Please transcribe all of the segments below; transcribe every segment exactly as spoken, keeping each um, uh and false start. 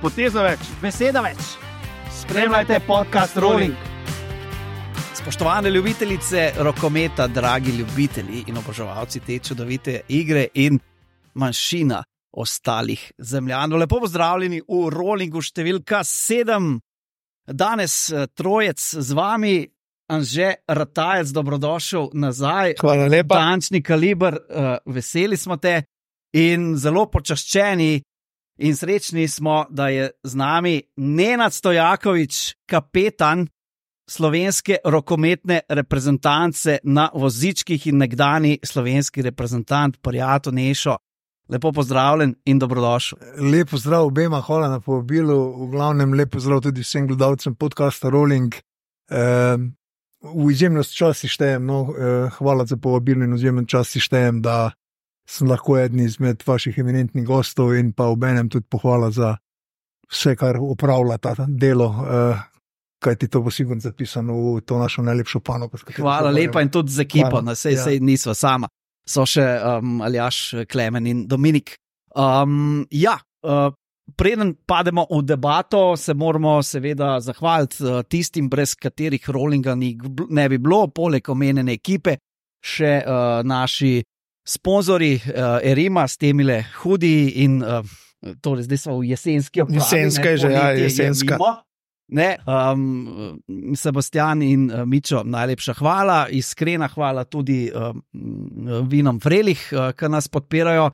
poteza več, beseda več. Spremljajte podcast Rolling. Spoštovane ljubitelice rokometa, dragi ljubitelji in oboževalci te čudovite igre in manjšina ostalih zemljanov. Lepo pozdravljeni v Rollingu številka sedem. Danes trojec z vami, Anže Ratajec, dobrodošel nazaj. Hvala lepa. Tančni kaliber, veseli smo te in zelo počaščeni in srečni smo, da je z nami Nenad Stojakovič, kapetan slovenske rokometne reprezentance na vozičkih in nekdani slovenski reprezentant, prijatelj Nešo. Lepo pozdravljen in dobrodošel. Lep pozdrav obema, hvala na povabilu. V glavnem lep pozdrav tudi vsem gledalcem podcasta Rolling. E, v izjemnost časti štejem, no, e, hvala za povabilo in v izjemnost časti štejem, da sem lahko eden izmed vaših eminentnih gostov in pa obenem tudi pohvala za vse, kar upravlja ta delo, e, kaj ti to bo sigurno zapisano v to našo najlepšo panogo. Hvala lepa in tudi z ekipo, na sej, ja. sej nisva sama. So še um, Aljaš, Klemen in Dominik. Um, ja, uh, preden pademo v debato, se moramo seveda zahvaliti uh, tistim, brez katerih Rollinga ni, ne bi bilo, poleg omenjene ekipe, še uh, naši sponzori uh, Erima s temile hudi in uh, torej zdaj smo v jesenski oblavi. Jesenska je že, ja, jesenska. Ne, um, Sebastian in uh, Mičo, najlepša hvala, iskrena hvala tudi um, Vinom Frelih, uh, ki nas podpirajo,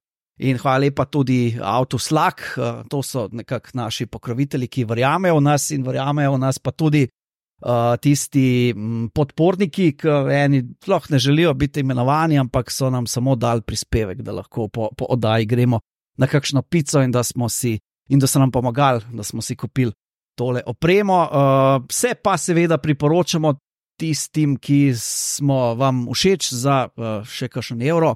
in hvala lepa tudi Autoslak, uh, to so nekako naši pokrovitelji, ki verjamejo v nas in verjamejo v nas pa tudi uh, tisti m, podporniki, ki eni sploh ne želijo biti imenovani, ampak so nam samo dali prispevek, da lahko po, po oddaji gremo na kakšno pico in da smo si, in da so nam pomagali, da smo si kupili tole opremo. Uh, vse pa seveda priporočamo tistim, ki smo vam všeč za uh, še kakšen evro.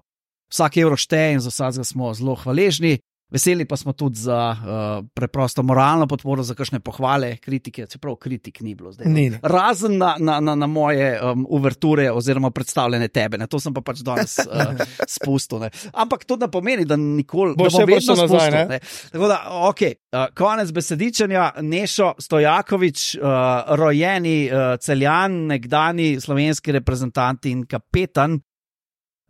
Vsak evro šteje in za vsakega smo zelo hvaležni. Veseli pa smo tudi za uh, preprosto moralno podporo, za kakšne pohvale, kritike, čeprav kritik ni bilo zdaj. Ni. Razen na, na, na, na moje um, uverture oziroma predstavljene tebe. Ne? To sem pa pač danes uh, spustil. Ne? Ampak to ne pomeni, da nikoli Bo ne bom vedno nazaj, spustil. ne? Ne? Tako da, ok, uh, konec besedičanja. Nešo Stojakovič, uh, rojeni uh, Celjan, nekdani slovenski reprezentant in kapetan,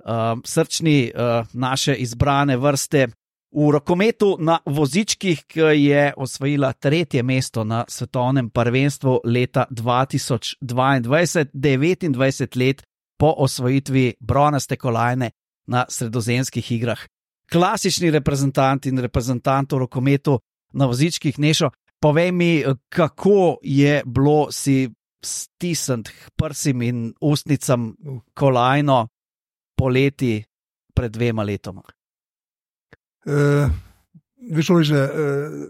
uh, srčni uh, naše izbrane vrste v rokometu na vozičkih, ki je osvojila tretje mesto na svetovnem prvenstvu leta dva tisoč dvaindvajset, devetindvajset let po osvojitvi bronaste kolajne na sredozemskih igrah. Klasični reprezentant in reprezentant v rokometu na vozičkih. Nešo, povej mi, kako je bilo si stisniti k prsim in ustnicam kolajno poleti pred dvema letoma. Uh, veš, že uh,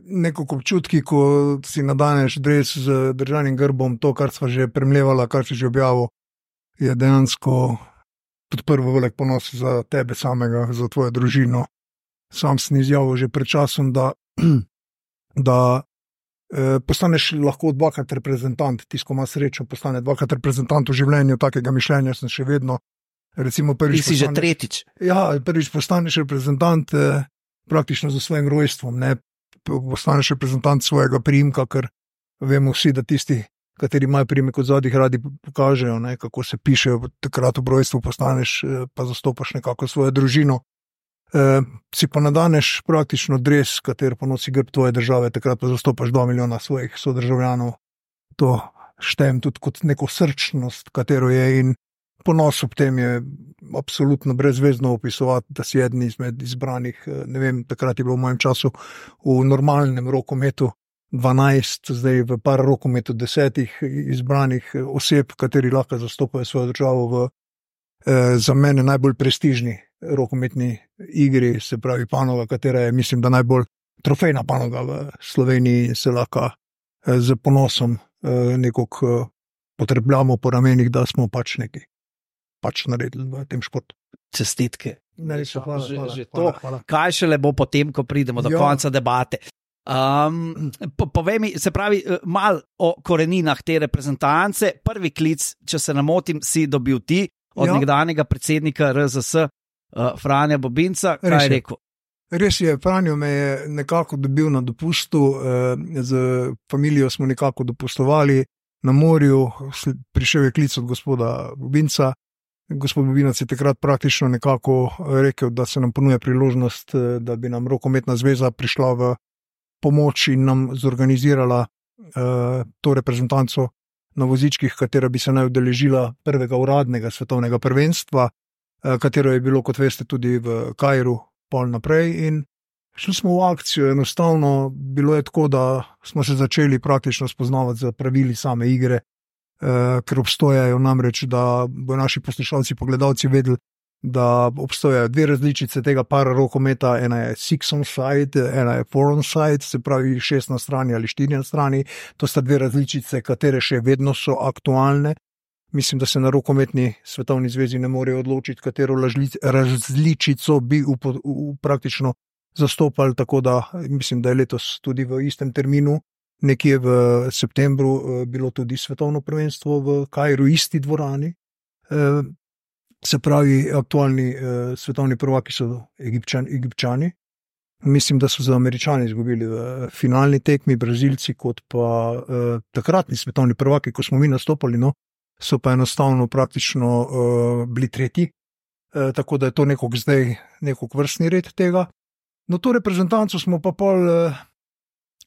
neko občutki, ko si nadaneš dres z državnim grbom, to, kar sva že premljevala, kar si že objavil, je dejansko tudi prvo velik ponos za tebe samega, za tvojo družino. Sam sem izjavil že pred časom, da, da uh, postaneš lahko dvakrat reprezentant, tisti, ko ima srečo, postane dvakrat reprezentant v življenju, takega mišljenja sem še vedno. Recimo prvič Ti si postaneš, že tretjič. Ja, prvič postaneš reprezentant uh, praktično za svojim rojstvom, ne postaneš reprezentant svojega priimka, ker vemo vsi, da tisti, kateri imajo priimek od zadnjih, radi pokažejo, ne, kako se pišejo, takrat v rojstvu postaneš, pa zastopaš nekako svojo družino. E, si pa nadaneš praktično dres, kater ponosi grb tvoje države, takrat pa zastopaš dva milijona svojih sodržavljanov. To štejem tudi kot neko srčnost, katero je, in ponos ob tem je absolutno brezvezno opisovati, da si eden izmed izbranih, ne vem, takrat je bilo v mojem času v normalnem rokometu dvanajst, zdaj v par rokometu desetih izbranih oseb, kateri lahko zastopajo svojo državo v eh, za mene najbolj prestižni rokometni igri, se pravi panoga, katera je, mislim, da najbolj trofejna panoga v Sloveniji, se lahko eh, z ponosom eh, nekako eh, potrebljamo po ramenih, da smo pač neki pač naredili v tem športu. Čestitke. Najlepša hvala, že, hvala, že hvala, to, hvala. Kaj šele bo potem, ko pridemo do Jo. konca debate. Um, po, povej mi, se pravi, mal o koreninah te reprezentance. Prvi klic, če se ne motim, si dobil ti od Jo. nekdanjega predsednika R Z S uh, Franja Bobinca. Kaj Res je je. rekel? Res je, Franjo me je nekako dobil na dopustu, z familijo smo nekako dopustovali na morju, prišel je klic od gospoda Bobinca. Gospod Bobinac je takrat praktično nekako rekel, da se nam ponuja priložnost, da bi nam Rokometna zveza prišla v pomoč in nam zorganizirala to reprezentanco na vozičkih, katera bi se naj udeležila prvega uradnega svetovnega prvenstva, katero je bilo, kot veste, tudi v Kairu pol naprej, in šli smo v akcijo. Enostavno bilo je tako, da smo se začeli praktično spoznavati za pravili same igre, ker obstojajo namreč, da bo naši poslušalci, pogledalci vedeli, da obstojajo dve različice tega para rokometa, ena je six on side, ena je four on side, se pravi šest na strani ali štiri na strani. To sta dve različice, katere še vedno so aktualne. Mislim, da se na Rokometni svetovni zvezi ne morejo odločiti, katero različico bi v, v, praktično zastopali, tako da mislim, da je letos tudi v istem terminu, nekje v septembru, bilo tudi svetovno prvenstvo v Kairu, isti dvorani. Se pravi, aktualni svetovni prvaki so Egipčani, Egipčani. Mislim, da so za Američani izgubili v finalni tekmi, Brazilci kot pa takratni svetovni prvaki, ko smo mi nastopali, no, so pa enostavno praktično uh, bili tretji, uh, tako da je to nekog zdaj nekog vrstni red tega. No, to reprezentanco smo pa pol uh,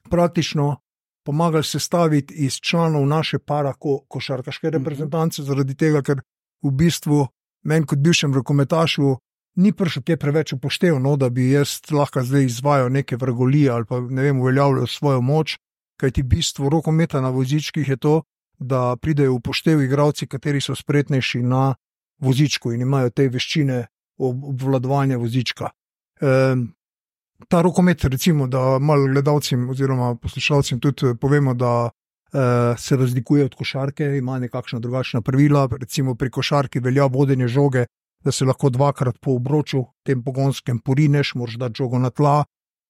praktično pomagali sestaviti iz članov naše para ko, košarkaške reprezentance, zaradi tega, ker v bistvu meni kot bivšem rokometašu ni prišlo te preveč upoštev, no, da bi jaz lahko zdaj izvajal neke vrgolije ali pa ne vem, uveljavljal svojo moč, kajti bistvo rokometa na vozičkih je to, da pridejo v upoštev igralci, kateri so spretnejši na vozičku in imajo te veščine obvladovanja vozička. E, ta rokomet, recimo, da malo gledalcem oziroma poslušalcem tudi povemo, da e, se razlikuje od košarke, ima nekakšna drugačna pravila. Recimo pri košarki velja vodenje žoge, da se lahko dvakrat po obroču tem pogonskem porineš, moraš dati žogo na tla,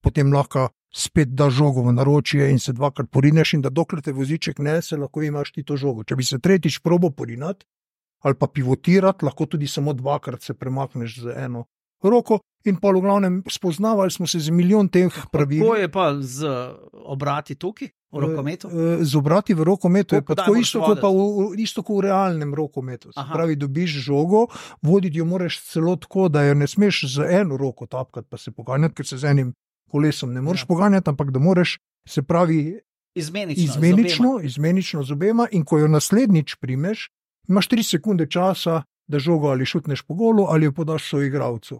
potem lahko spet da žogo v naročje in se dvakrat porineš, in da dokler te voziček ne, se lahko imaš ti to žogo. Če bi se tretjič probo porinati ali pa pivotirati, lahko tudi samo dvakrat se premakneš z eno roko, in pa v glavnem spoznavali smo se z milijon teh pravil. Kako je pa z obrati tukaj v rokometu? Z obrati v rokometu je pa tako isto, kot pa v, isto kot v realnem rokometu. Se pravi, dobiš žogo, voditi jo moraš celo tako, da jo ne smeš z eno roko tapkati pa se poganjati, ker se z enim kolesom ne moreš ja. poganjati, ampak da moraš, se pravi, izmenično, izmenično, z izmenično z obema, in ko jo naslednjič primeš, imaš tri sekunde časa, da žogo ali šutneš po golu ali jo podaš soigralcu.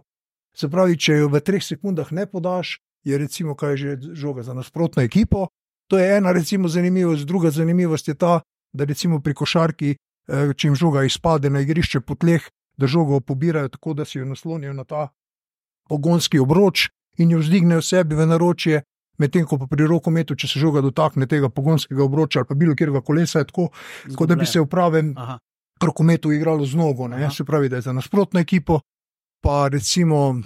Se pravi, če jo v treh sekundah ne podaš, je recimo kaj že žoga za nasprotno ekipo. To je ena recimo zanimivost. Druga zanimivost je ta, da recimo pri košarki, če jim žoga izpade na igrišče po tleh, da žogo pobirajo tako, da si jo naslonijo na ta pogonski obroč in jo vzdignejo sebi v naročje, medtem ko pa pri rokometu, če se žoga dotakne tega pogonskega obroča ali pa bilo kjerga kolesa, je tako, tako da bi se v pravem Aha. rokometu igralo z nogo, ne? Se pravi, da je za nasprotno ekipo, pa recimo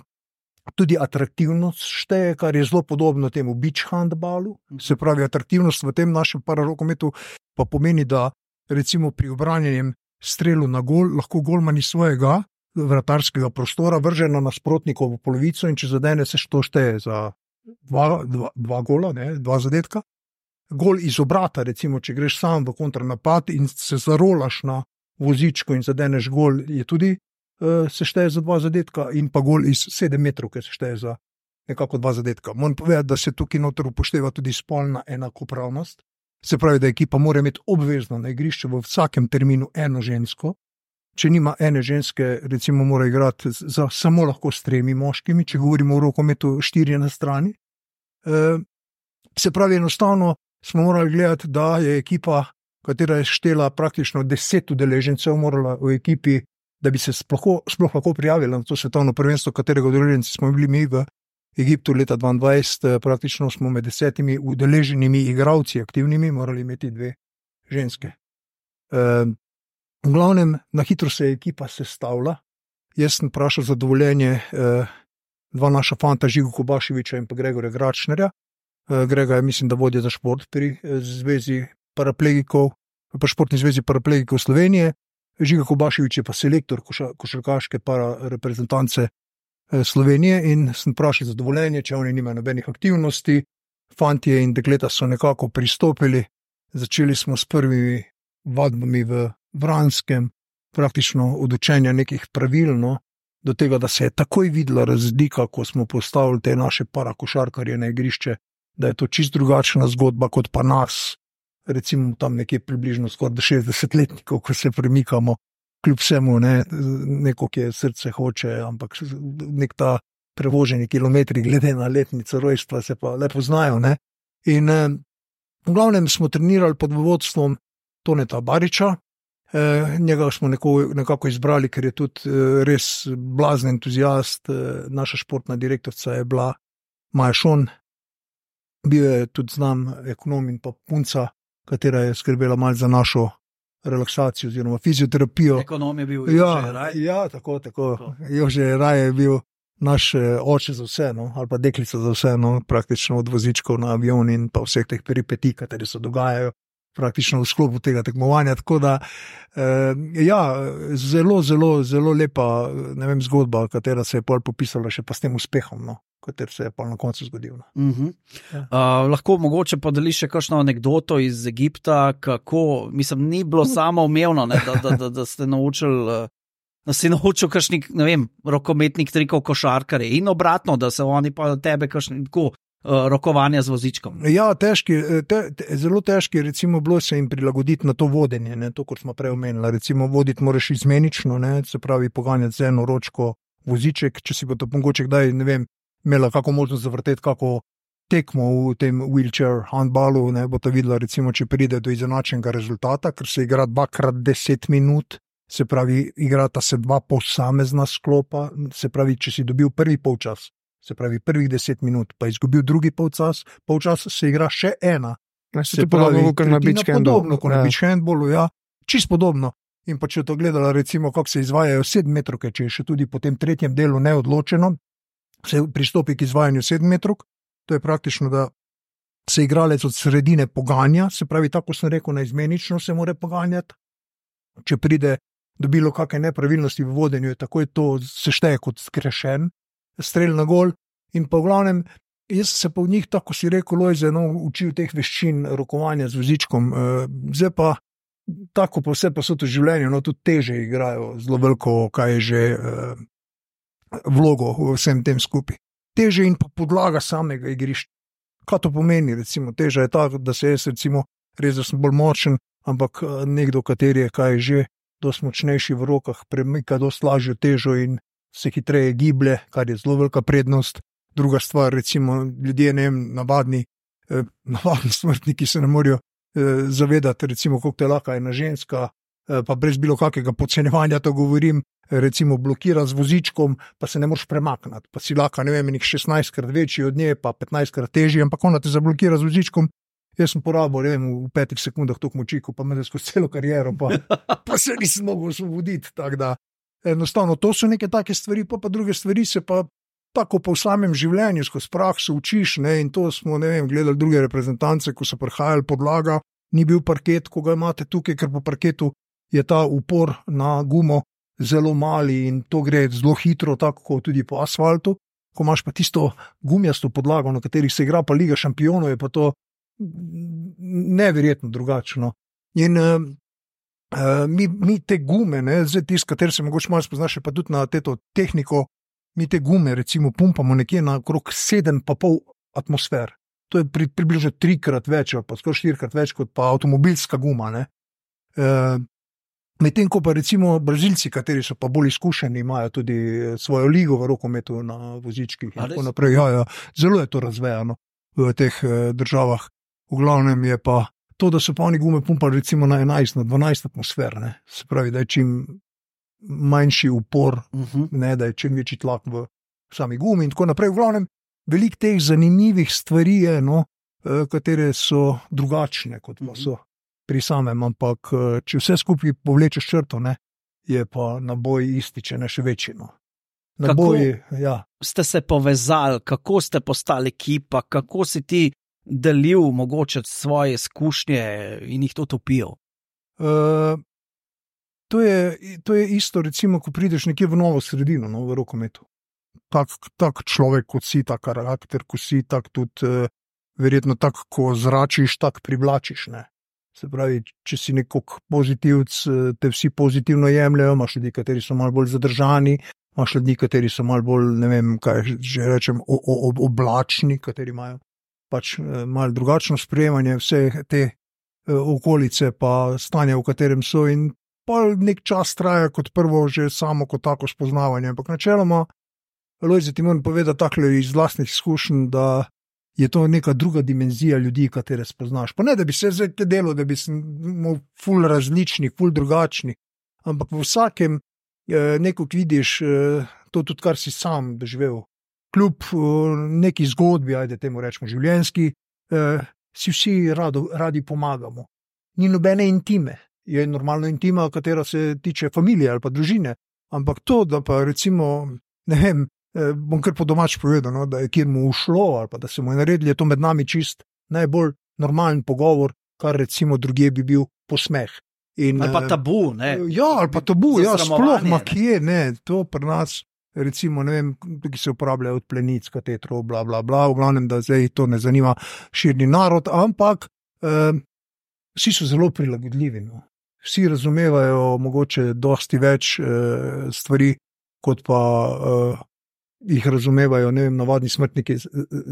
tudi atraktivnost šteje, kar je zelo podobno temu beach handballu. Se pravi, atraktivnost v tem našem pararokometu pa pomeni, da recimo pri obranjenem strelu na gol lahko golman iz svojega vratarskega prostora vrže na nasprotnikovo polovico, in če zadene, se to šteje za dva, dva, dva gola, ne, dva zadetka. Gol iz obrata, recimo, če greš sam v kontranapad in se zarolaš na vozičko in zadeneš gol, je tudi uh, se šteje za dva zadetka, in pa gol iz sedem metrov, ki se šteje za nekako dva zadetka. Moram povedati, da se tukaj noter upošteva tudi spolna enakopravnost. Se pravi, da ekipa mora imeti obvezno na igrišču v vsakem terminu eno žensko. Če nima ene ženske, recimo mora igrati za samo lahko s tremi moškimi, če govorimo o rokometu štiri na strani. E, se pravi, enostavno smo morali gledati, da je ekipa, katera je štela praktično deset udeležencev, morala v ekipi, da bi se sploh, sploh lahko prijavila na to svetovno prvenstvo, katerega udeleženci smo bili mi v Egiptu leta dvaindvajset, praktično smo med desetimi udeleženimi igralci aktivnimi morali imeti dve ženske. E, V glavnem, na hitro se je ekipa sestavila. Jaz sem vprašal za dovoljenje eh, dva naša fanta, Žigo Kobaševiča in pa Gregorja Gračnerja. Eh, Grega je, mislim, da vodja za šport pri eh, zvezi paraplegikov, pa športni zvezi paraplegikov Slovenije. Žiga Kobaševič je pa selektor koša, košarkaške para reprezentance Slovenije in sem vprašal za dovoljenje, če oni nimajo nobenih aktivnosti. Fantje in dekleta so nekako pristopili, začeli smo s prvimi vadbami v Vranskem, praktično od učenja nekih pravil, no, do tega, da se je takoj videla razlika, ko smo postavili te naše parakošarkarje na igrišče, da je to čist drugačna zgodba kot pa nas, recimo tam nekje približno skoraj šestdesetletnikov, ko se premikamo, kljub vsemu, ne, neko, ki je srce hoče, ampak nek ta prevoženi kilometri glede na letnico rojstva se pa lepo znajo. Ne. In eh, v glavnem smo trenirali pod vodstvom Toneta Bariča, eh, njega smo neko, nekako izbrali, ker je tudi eh, res blazen entuzijast, eh, naša športna direktorica je bila Maja Šon, bil je tudi znam ekonom in pa punca, katera je skrbela malo za našo relaksacijo oziroma fizioterapijo. Ekonom je bil ja, Jože Raj. Ja, tako, tako. tako. Jože Raj je bil naš oče za vse, no, ali pa deklica za vse, no, praktično od vozičkov na avion in pa vseh teh peripetij, kateri se dogajajo praktično v sklopu tega tekmovanja. Tako da, eh, ja, zelo, zelo, zelo lepa, ne vem, zgodba, katera se je pol popisala še pa s tem uspehom, no, kater se je pa na koncu zgodil. No. Uh -huh. ja. uh, lahko mogoče podeliš še kakšno anekdoto iz Egipta, kako, mislim, ni bilo samo umevno, ne, da, da, da, da ste naučili, uh, da si naučil kakšnih, ne vem, rokometnih trikov košarkarje in obratno, da se oni pa tebe kakšni tako uh, rokovanja z vozičkom. Ja, težki, te, te, zelo težki recimo bilo se jim prilagoditi na to vodenje, ne, to, kot smo prej omenili. Recimo voditi moraš izmenično, ne, se pravi poganjati z eno ročko voziček, če si bo to mogoče kdaj, ne vem, imela kako možnost zavrteti kako tekmo v tem wheelchair handballu, ne, bo to videla, recimo, če pride do izenačenega rezultata, ker se igra dvakrat deset minut, se pravi, igrata se dva posamezna sklopa, se pravi, če si dobil prvi polčas, se pravi, prvih deset minut, pa izgubil drugi polčas, polčas se igra še ena. Ne, se, se pravi, podobno, na podobno kot na beach handballu, ja, čist podobno. In pa če to gledala, recimo, kako se izvajajo sedemmetrovke, če je še tudi po tem tretjem delu neodločeno, se pristopi k izvajanju sedemmetrovk, to je praktično, da se igralec od sredine poganja, se pravi, tako sem rekel, na izmenično se mora poganjati. Če pride do bilo kakšne nepravilnosti v vodenju, je takoj to sešteje kot zgrešen strel na gol. In pa v glavnem, jaz se pa v njih, tako si rekel, Lojze, no, učil teh veščin rokovanja z vozičkom. Zdaj pa, tako pa vse pa so to življenje, no, tudi teže igrajo zelo veliko, kaj je že vlogo v vsem tem skupaj. Teže in pa podlaga samega igrišča. Kaj to pomeni, recimo, teža je ta, da se jaz, recimo, res, da sem bolj močen, ampak nekdo, kateri je kaj že dosti močnejši v rokah, premika dosti lažjo težo in se hitreje giblje, kar je zelo velika prednost. Druga stvar, recimo, ljudje, ne vem, navadni, eh, navadni smrtniki se ne morajo eh, zavedati, recimo, koliko te laka ena ženska, eh, pa brez bilo kakega podcenjevanja to govorim, recimo blokira z vozičkom, pa se ne moreš premakniti, pa si laka, ne vem, nekaj šestnajstkrat večji od nje, pa petnajstkrat težji, ampak ona te zablokira z vozičkom. Jaz sem porabil, ne vem, v petih sekundah toliko moči, ko pa me da skozi celo kariero, pa, pa se nisem mogel osvoboditi, tako da enostavno, to so neke take stvari, pa pa druge stvari se pa tako po samem življenju, skozi prakso učiš, ne, in to smo, ne vem, gledali druge reprezentance, ko so prihajali podlaga, ni bil parket, ko ga imate tukaj, ker po parketu je ta upor na gumo zelo mali in to gre zelo hitro, tako kot tudi po asfaltu. Ko imaš pa tisto gumijasto podlago, na katerih se igra pa Liga šampionov, je pa to neverjetno drugačno. In uh, uh, mi, mi te gume, ne, zdaj tist, kateri se mogoče malo spoznaš, pa tudi na teto tehniko, mi te gume recimo pumpamo nekje na okrog sedem pa pol atmosfer. To je pri, približno trikrat več, pa skoraj štirikrat več kot pa avtomobilska guma, ne. Uh, Medtem ko pa recimo Brazilci, kateri so pa bolj izkušeni, imajo tudi svojo ligo v rokometu na vozičkih in tako naprej. Ja, ja, zelo je to razvejano v teh uh, državah. V glavnem je pa to, da so pa oni gume pumpali recimo na enajst, na dvanajst atmosfer, ne. Se pravi, da je čim manjši upor, uh-huh. ne, da je čim večji tlak v sami gumi in tako naprej. V glavnem, veliko teh zanimivih stvari je, no, uh, katere so drugačne, kot pa so pri samem, ampak če vse skupaj povlečeš črto, ne, je pa naboj isti, če ne še večji. No. Naboj, ja. Ste se povezali, kako ste postali ekipa, kako si ti delil mogoče svoje izkušnje in jih to topil? Uh, to, je, to je isto, recimo, ko prideš nekje v novo sredino, no, v rokometu. tak, tak človek, kot si, tak karakter, kot si, tak tudi uh, verjetno tako, ko zračiš, tak privlačiš, ne. Se pravi, če si nekako pozitivc, te vsi pozitivno jemljajo, imaš ljudi, kateri so malo bolj zadržani, imaš ljudi, kateri so malo bolj, ne vem, kaj že rečem, o, o, oblačni, kateri imajo pač malo drugačno sprejemanje vse te okolice pa stanja, v katerem so, in pa nek čas traja kot prvo že samo kot tako spoznavanje. Ampak načeloma, Lojze, ti moram povedati takle iz vlastnih izkušenj, da je to neka druga dimenzija ljudi, katere spoznaš. Pa ne, da bi se zdaj te delo, da bi se ful različni, ful drugačni, ampak v vsakem eh, nekog vidiš eh, to tudi, kar si sam doživel. Kljub eh, neki zgodbi, ajde temu rečemo življenjski, eh, si vsi rado, radi pomagamo. Ni nobene intime. Je normalno intima, katera se tiče familije ali pa družine. Ampak to, da pa recimo, ne vem, eh, bom kar po domač povedal, no, da je kjer mu ušlo ali pa da se mu je naredili, je to med nami čist najbolj normalen pogovor, kar recimo drugje bi bil posmeh. In, ali pa tabu, ne? Ja, ali pa tabu, ja, sploh ma kje, ne, to pri nas, recimo, ne vem, ki se uporabljajo od plenic, katetrov, bla, bla, bla, v glavnem, da zdaj to ne zanima širni narod, ampak eh, vsi so zelo prilagodljivi, no. Vsi razumevajo mogoče dosti več eh, stvari, kot pa eh, jih razumevajo, ne vem, navadni smrtniki,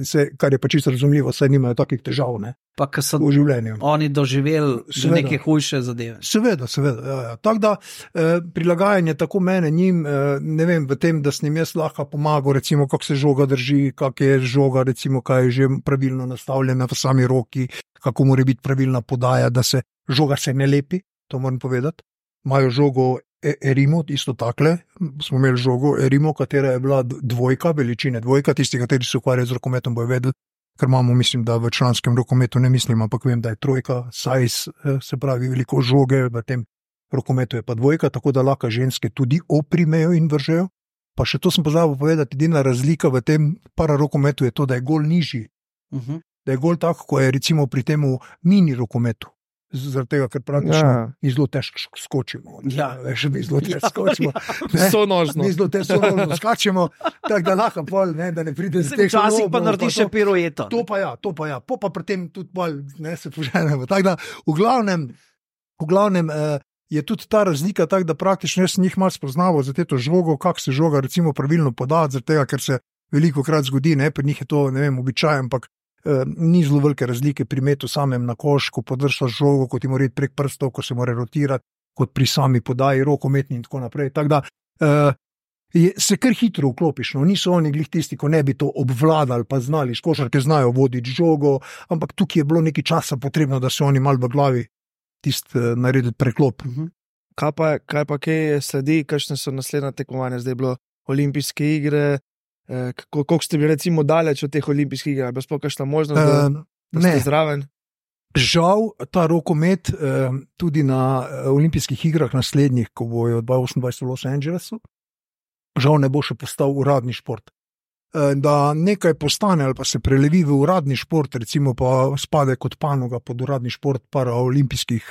se, kar je pa čisto razumljivo, saj nimajo takih težav, ne, pa ko so v življenju. Oni doživeli neke hujše zadeve. Seveda, seveda, ja, ja. Tako da eh, prilagajanje tako mene njim, eh, ne vem, v tem, da s njim jaz lahko pomagal, recimo, kako se žoga drži, kak je žoga, recimo, kaj je že pravilno nastavljena v sami roki, kako mora biti pravilna podaja, da se žoga se ne lepi, to moram povedati. Imajo žogo Erimo, isto takle, smo imeli žogo Erimo, katera je bila dvojka, veličine dvojka, tisti, kateri se ukvarjajo z rokometom, bojo vedeli, ker imamo, mislim, da v članskem rokometu ne mislim, ampak vem, da je trojka, size, se pravi veliko žoge, v tem rokometu je pa dvojka, tako da lahko ženske tudi oprimejo in vržejo. Pa še to sem pozabil povedati, edina razlika v tem pararokometu je to, da je gol nižji, uh-huh. da je gol tako, ko je recimo pri temu mini rokometu. Zaradi tega, ker praktično ja. mi zelo težko skočimo. Ja. Veš, mi zelo težko skočimo. Ja. Sonožno. Mi zelo težko skočimo, tako da lahko pol, ne, da ne pride z teh. Včasih pa narediš še pirueto. To pa ja, to pa ja. Po pa pri tem tudi pol, ne, se poženemo. Tako da, v glavnem, v glavnem eh, je tudi ta razlika tak, da praktično jaz njih malo spoznaval za to žogo, kako se žoga recimo pravilno podati, zaradi tega, ker se veliko krat zgodi, ne, pri njih je to, ne vem, običaj, ampak Uh, ni zelo velike razlike pri metu samem na koš, ko podršaš žogo, ko ti mora iti prek prstov, ko se mora rotirati, kot pri sami podaji, rokometni in tako naprej. Tako da uh, je, se kar hitro vklopiš. No. Niso oni glih tisti, ko ne bi to obvladali, pa znali, košarke znajo voditi žogo, ampak tukaj je bilo nekaj časa potrebno, da se oni malo v glavi tist uh, naredili preklop. Uh-huh. Kaj pa, kaj pa kaj sledi, kakšne so naslednja tekmovanja? Zdaj je bilo olimpijske igre. Kako, koliko ste bili recimo daleč od teh olimpijskih iger, ali pa sploh kakšna možnost, da, da ste zraven? Žal, ta rokomet tudi na olimpijskih igrah naslednjih, ko bojo dvajset osemindvajset v Los Angelesu, žal ne bo še postal uradni šport. Da nekaj postane ali pa se prelevi v uradni šport, recimo pa spade kot panoga pod uradni šport paraolimpijskih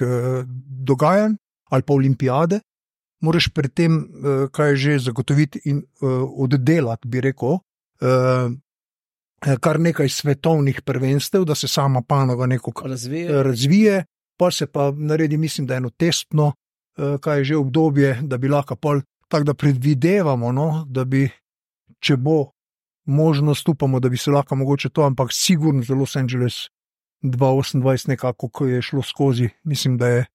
dogajanj ali pa olimpijade, moraš pri tem, kaj že zagotoviti in oddelati, bi rekel, kar nekaj svetovnih prvenstev, da se sama panoga nekako razvije. razvije, pa se pa naredi, mislim, da eno testno, kaj je že obdobje, da bi lahko pol, tako da predvidevamo, no, da bi, če bo možnost, upamo, da bi se lahko mogoče to, ampak sigurno za Los Angeles dvajset osemindvajset nekako, ko je šlo skozi, mislim, da je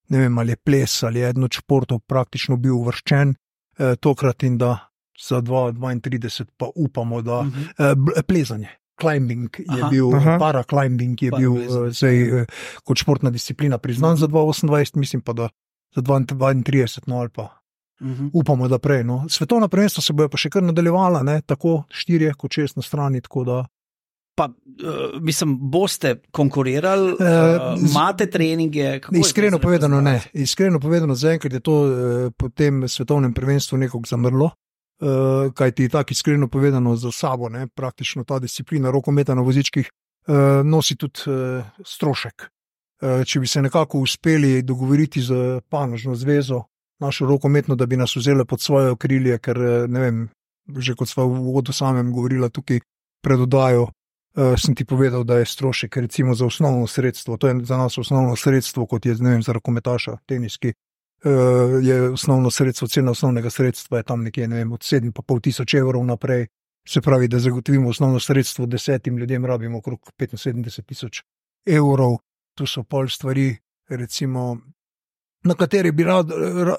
ne vem, ali je ples, ali je eden od športov praktično bil uvrščen eh, tokrat in da za dva tisoč dvaintrideset pa upamo, da uh-huh. eh, plezanje, climbing je aha, bil, aha. paraclimbing je bil eh, zdaj, eh, kot športna disciplina priznan za dva tisoč osemindvajset, mislim pa, da za dva tisoč dvaintrideset, no ali pa uh-huh. upamo, da prej. No. Svetovna prvenstva se bojo pa še kar nadaljevala, ne, tako štirje kot šest na strani, tako da Pa, uh, mislim, boste konkurirali, uh, imate treninge? Iskreno povedano ne. Iskreno povedano, zaenkrat je to uh, po tem svetovnem prvenstvu nekako zamrlo, uh, kajti tako iskreno povedano za sabo, ne, praktično ta disciplina rokometa na vozičkih uh, nosi tudi uh, strošek. Uh, če bi se nekako uspeli dogovoriti z panožno zvezo, našo rokometno, da bi nas vzeli pod svoje okrilje, ker ne vem, že kot sva v uvodu samem govorila tukaj pred oddajo, uh, sem ti povedal, da je strošek recimo za osnovno sredstvo, to je za nas osnovno sredstvo, kot je, ne vem, za rokometaša, teniski, uh, je osnovno sredstvo, cena osnovnega sredstva je tam nekje, ne vem, od sedem pa pol tisoč evrov naprej, se pravi, da zagotovimo osnovno sredstvo desetim ljudem, rabimo okrog petinsedemdeset tisoč evrov, tu so pol stvari, recimo, na kateri bi rad,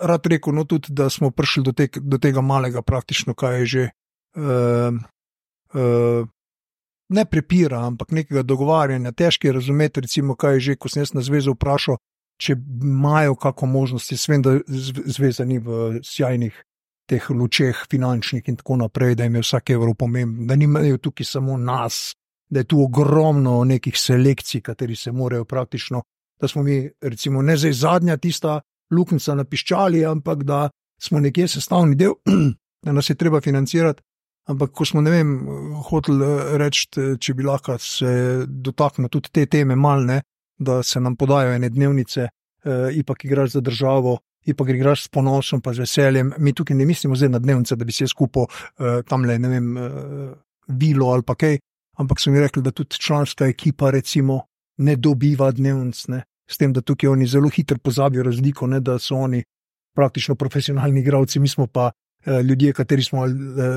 rad rekel, no tudi, da smo prišli do, te, do tega malega praktično, kaj je že, uh, uh, ne prepira, ampak nekega dogovarjanja, težko je razumeti, recimo, kaj je že, ko sem jaz na zvezo vprašal, če imajo kako možnosti, jaz vem, da zveza ni v sjajnih teh lučeh finančnih in tako naprej, da jim je vsak evro pomemben, da nimajo tukaj samo nas, da je tu ogromno nekih selekcij, kateri se morajo praktično, da smo mi, recimo, ne zdaj zadnja tista luknjica na piščali, ampak da smo nekje sestavni del, da nas je treba financirati, ampak ko smo, ne vem, hoteli reči, če bi lahko se dotaknil tudi te teme mal, ne, da se nam podajo ene dnevnice, eh, ipak igraš za državo, ipak igraš s ponosom pa z veseljem, mi tukaj ne mislimo zdaj na dnevnice, da bi se skupil eh, tamle, ne vem, eh, vilo ali pa kaj, ampak so mi rekli, da tudi članska ekipa, recimo, ne dobiva dnevnic, ne, s tem, da tukaj oni zelo hitro pozabijo razliko, ne, da so oni praktično profesionalni igralci, mi smo pa eh, ljudje, kateri smo eh,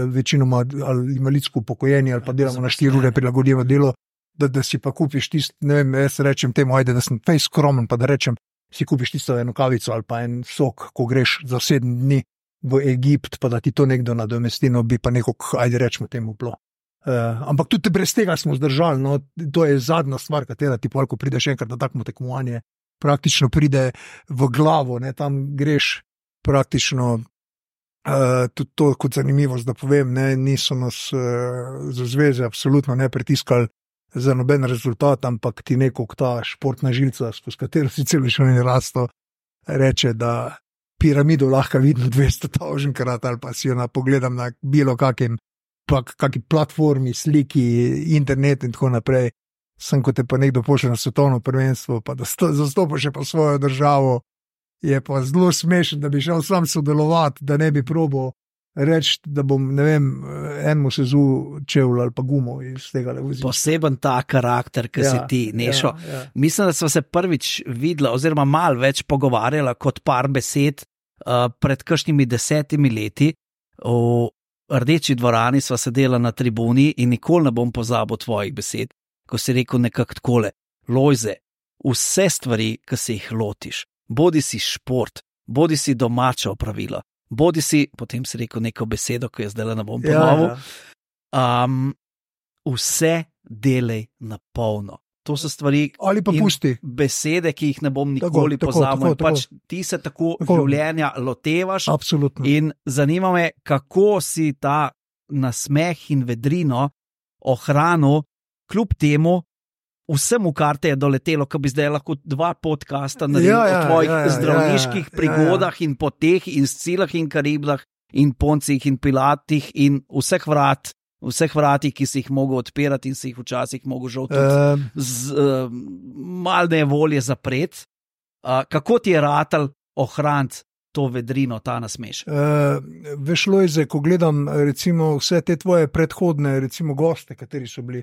večinoma ali invalidsko upokojeni ali pa delamo na štiri ure prilagodljivo delo, da, da si pa kupiš tisto, ne vem, jaz rečem temu, ajde, da sem fej skromen, pa da rečem, si kupiš tisto eno kavico ali pa en sok, ko greš za sedem dni v Egipt, pa da ti to nekdo nadomesti, no bi pa nekako, ajde rečemo temu bilo. Uh, ampak tudi brez tega smo zdržali, no, to je zadnja stvar, katera ti polko prideš enkrat na takmo tekmovanje, praktično pride v glavo, ne, tam greš praktično, uh, tudi to kot zanimivost, da povem, ne, niso nas uh, za zveze absolutno ne pritiskali za noben rezultat, ampak ti nekog ta športna žilca, skozi katero si celo življenje rasto, reče, da piramido lahko vidim dvesto tisočkrat ali pa si jo na pogledam na bilo kakim pa kakšni platformi, sliki, internet in tako naprej, sem kot te pa nekdo pošle na svetovno prvenstvo, pa da zastopaš pa svojo državo, je pa zelo smešen, da bi šel sam sodelovati, da ne bi probal reči, da bom, ne vem, enemu sezu čevl ali pa gumo iz tega levozila. Poseben ta karakter, ki ja, si ti, Nešo. Ja, ja. Mislim, da sva se prvič videla, oziroma malo več pogovarjala kot par besed uh, pred kakšnimi desetimi leti o Rdeči dvorani sva sedela na tribuni in nikoli ne bom pozabil tvojih besed, ko si rekel nekako takole: Lojze, vse stvari, ki se jih lotiš, bodi si šport, bodi si domača opravila, bodi si, potem si rekel neko besedo, ko jaz zdaj ne bom ponovil, ja, ja. um, vse delej na polno. To so stvari ali pa pusti besede, ki jih ne bom nikoli pozabil. Pač ti se tako, tako življenja lotevaš. Absolutno. In zanima me, kako si ta nasmeh in vedrino ohranil, kljub temu vsemu, kar te je doletelo, ko bi zdaj lahko dva podcasta naredil ja, ja, o tvojih ja, ja, zdravniških ja, ja, prigodah ja, ja. in poteh in Scilah in Karibdah in Poncih in Pilatih in vseh vrat, vseh vratih, ki si jih mogel odpirati in si jih včasih mogel žal tudi uh, z uh, malne volje zapreti. Uh, kako ti je ratal ohraniti to vedrino, ta nasmešek? Uh, veš, Lojze, ko gledam recimo vse te tvoje predhodne recimo goste, kateri so bili,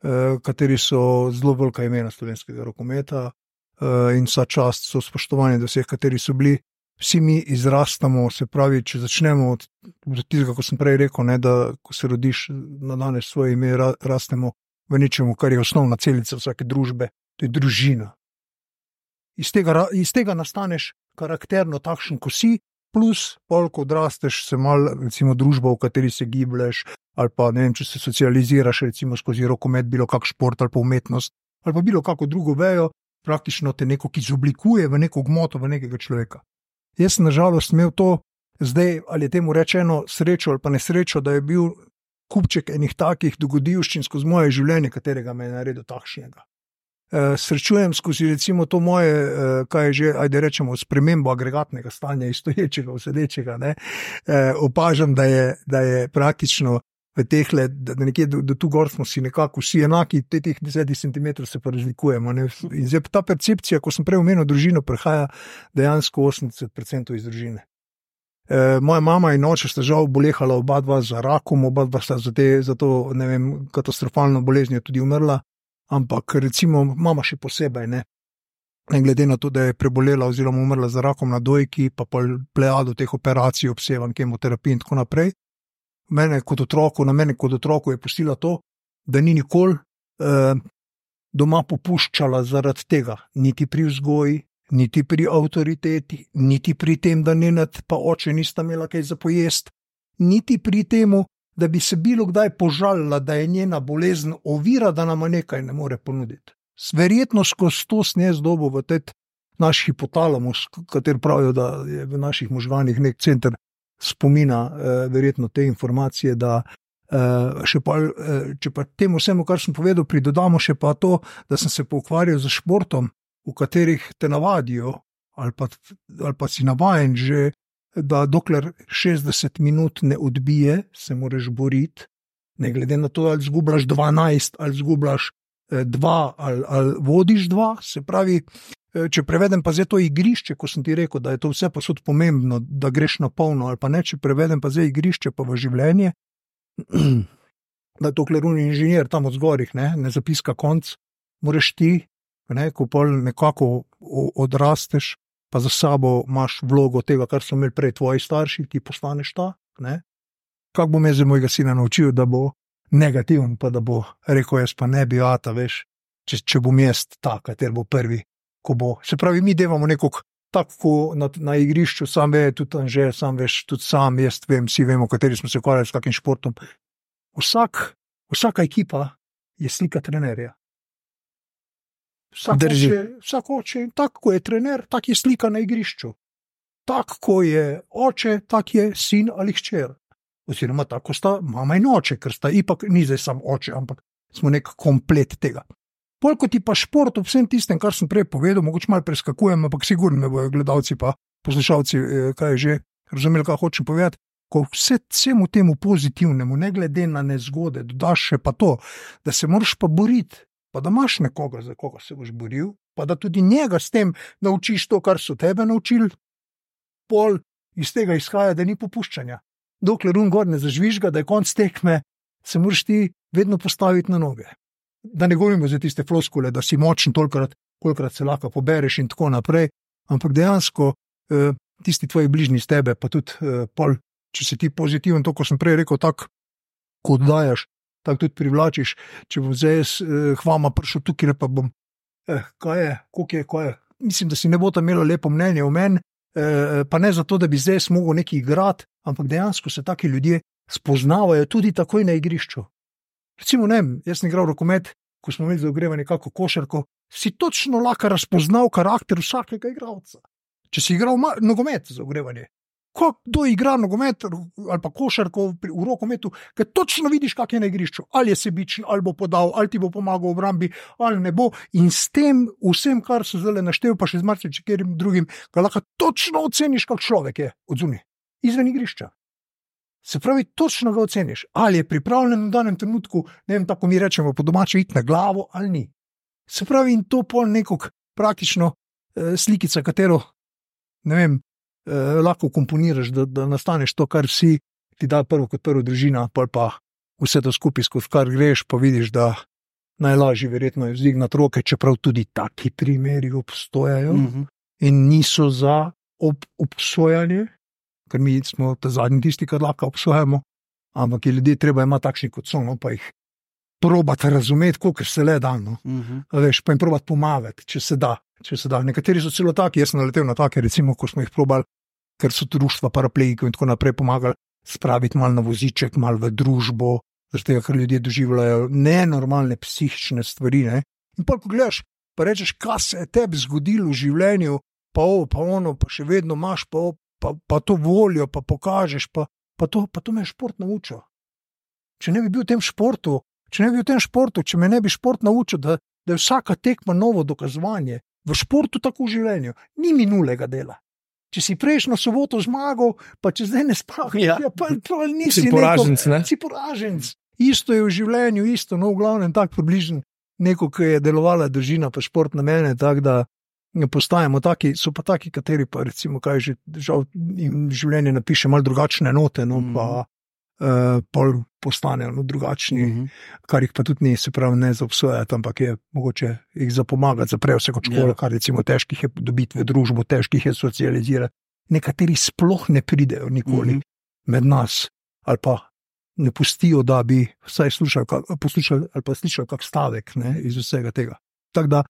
uh, kateri so zelo velika imena slovenskega rokometa uh, in vsa čast so spoštovani do vseh, kateri so bili, vsi mi izrastamo, se pravi, če začnemo od, od tistega, ko sem prej rekel, ne, da ko se rodiš na danes svoje ime, ra, rastemo v nečemu, kar je osnovna celica vsake družbe, to je družina. Iz tega, iz tega nastaneš karakterno takšen, ko si, plus pol, ko odrasteš, se mal, recimo, družba, v kateri se giblješ, ali pa, ne vem, če se socializiraš, recimo, skozi rokomet, bilo kak šport ali pa umetnost, ali pa bilo kako drugo vejo, praktično te neko, ki izoblikuje v neko gmoto, v nekega človeka. Jaz sem nažalost imel to, zdaj, ali je temu rečeno srečo ali pa nesrečo, da je bil kupček enih takih dogodivščin skozi moje življenje, katerega me je naredil takšnega. E, srečujem skozi recimo to moje, e, kaj je že, ajde rečemo, spremembo agregatnega stanja iz stoječega v sedečega, ne, e, opažam, da je, da je praktično v tehle, da nekje do, do tu gor smo si nekako vsi enaki, te teh deset centimetrov se pa razlikujemo. Ne? In zdaj ta percepcija, ko sem prej omenil družino, prihaja dejansko osemdeset procentov iz družine. E, moja mama in oče sta žal bolehala oba dva za rakom, oba dva sta za, te, za to ne vem, katastrofalno boleznijo tudi umrla, ampak recimo mama še posebej, ne. Ne glede na to, da je prebolela oziroma umrla za rakom na dojki, pa pa plejado teh operacij, obsevanj, kemoterapij in tako naprej. Mene kot otroku, na mene kot otroku je pustila to, da ni nikoli eh, doma popuščala zaradi tega, niti pri vzgoji, niti pri avtoriteti, niti pri tem, da Nenad pa oče nista imela kaj za pojest, niti pri temu, da bi se bilo kdaj požalila, da je njena bolezen ovira, da nama nekaj ne more ponuditi. Verjetno skozi to snezdobo v tej naš hipotalamus, kater pravijo, da je v naših možganih nek center spomina, eh, verjetno te informacije, da eh, še pa, eh, če pa temu vsemu, kar sem povedal, pridodamo še pa to, da sem se poukvarjal z športom, v katerih te navadijo, ali pa, ali pa si navajen že, da dokler šestdeset minut ne odbije, se moraš boriti, ne glede na to, ali zgubljaš dvanajst, ali zgubljaš dva, ali, ali vodiš dva, se pravi, če prevedem pa zdaj to igrišče, ko sem ti rekel, da je to vse posod pomembno, da greš na polno, ali pa ne, če prevedem pa zdaj igrišče pa v življenje, da je to kleruni inženir tam od zgorih, ne, ne zapiska konc, moraš ti, ne, ko pol nekako odrasteš, pa za sabo imaš vlogo tega, kar so imeli prej tvoji starši, ti postaneš ta, ne. Kako bom jaz mojega sina naučil, da bo negativen, pa da bo rekel, jaz pa ne bi ata, veš, če, če bom jaz ta, kater bo prvi, ko bo. Se pravi, mi devamo nekog tako na, na igrišču, sam ve, tudi tam že, sam veš, tudi sam, jaz vem, vsi vemo, kateri smo se ukvarjali s kakim športom. Vsak, vsaka ekipa je slika trenerja. Vsak oče, vsak oče, tako ko je trener, tak je slika na igrišču. Tako ko je oče, tak je sin ali hčer. Oziroma tako sta mama in oče, ker sta ipak, ni zdaj sam oče, ampak smo nek komplet tega. Pol, ko ti pa šport ob vsem tistem, kar sem prej povedal, mogoče malo preskakujem, ampak sigurno me bojo gledalci pa poslušalci, kaj je že, razumeli, kaj hočem povedati, ko vse, vsemu temu pozitivnemu, ne glede na nezgode, dodaš še pa to, da se moraš pa boriti, pa da imaš nekoga, za koga se boš boril, pa da tudi njega s tem naučiš to, kar so tebe naučili, pol iz tega izhaja, da ni popuščanja. Dokler un gor ne zažvižga, da je konc tekme, se moraš ti vedno postaviti na noge. Da ne govorimo za tiste floskule, da si močen tolikrat, kolikrat se lahko pobereš in tako naprej, ampak dejansko eh, tisti tvoji bližnji s tebe, pa tudi eh, pol, če si ti pozitiven, to, ko sem prej rekel, tako, ko oddajaš, tako tudi privlačiš, če bom zdaj jaz eh, hvama prišel tukaj, pa bom, eh, kaj je, koliko je, kaj je, mislim, da si ne bo tam imelo lepo mnenje o meni, eh, pa ne zato, da bi zdaj mogel nekaj igrati, ampak dejansko se taki ljudje spoznavajo tudi takoj na igrišču. Recimo, ne, jaz sem igral rokomet, ko smo imeli za ogrevanje kako košarko, si točno lahko razpoznal karakter vsakega igralca. Če si igral ma- nogomet za ogrevanje, kdo igra nogomet ali pa košarko v rokometu, ker točno vidiš, kak je na igrišču, ali je sebičen, ali bo podal, ali ti bo pomagal v obrambi, ali ne bo, in s tem vsem, kar so zdaj naštel, pa še z marsičim drugim, ga lahko točno oceniš, kak človek je odzunaj, izven igrišča. Se pravi, točno ga oceniš, ali je pripravljen v danem trenutku, ne vem, tako mi rečemo po domače, iti na glavo ali ni. Se pravi, in to pol nekog praktično eh, slikica, katero, ne vem, eh, lahko komponiraš, da, da nastaneš to, kar si ti da prvo kot prvo družina, pol pa vse to skupaj, skozi kar greš, pa vidiš, da najlažje verjetno je vzdignati roke, čeprav tudi taki primeri obstojajo mm-hmm. in niso za ob, obsojanje, ker mi smo ta zadnji tisti, kar lahko obsojamo, ampak je ljudje treba imati takšni kot so, no, pa jih probati razumeti, koliko se le da, no. uh-huh. Veš, pa jim probati pomagati, če se da, če se da. Nekateri so celo taki, jaz sem naletel na take, recimo, ko smo jih probali, ker so društva paraplegikov in tako naprej pomagali spraviti malo na voziček, malo v družbo, zaradi tega, ker ljudje doživljajo nenormalne psihične stvari, ne. In pa pogledaš, pa rečeš, kaj se je tebi zgodilo v življenju, pa ovo, pa ono, pa še vedno imaš, pa ovo, Pa, pa to voljo, pa pokažeš, pa, pa, to, pa to me je šport naučil. Če ne bi bil v tem športu, če ne bi bil v tem športu, če me ne bi šport naučil, da, da je vsaka tekma novo dokazovanje, v športu tako v življenju, ni minulega dela. Če si prejšnjo soboto zmagal, pa če zdaj ne spraviš, ja. ja, pa, pa nisi si poraženc, ne? Si poraženc. Isto je v življenju, isto, no v glavnem tak približen neko, ki je delovala družina, pa šport na mene, tako da postajamo taki, so pa taki, kateri pa recimo, kaj že žal, jim življenje napiše malo drugačne note, no, mm. pa uh, pol postanejo no, drugačni, mm -hmm. kar jih pa tudi ni, se pravi, ne zaobsojati, ampak je mogoče jih zapomagati, zaprejo se kot škola, yeah. kar recimo težkih je dobiti v družbo, težkih je socializirati. Nekateri sploh ne pridejo nikoli mm -hmm. med nas, ali pa ne pustijo, da bi vsaj slušali, poslušali ali pa slišali kak stavek ne, iz vsega tega. Tako da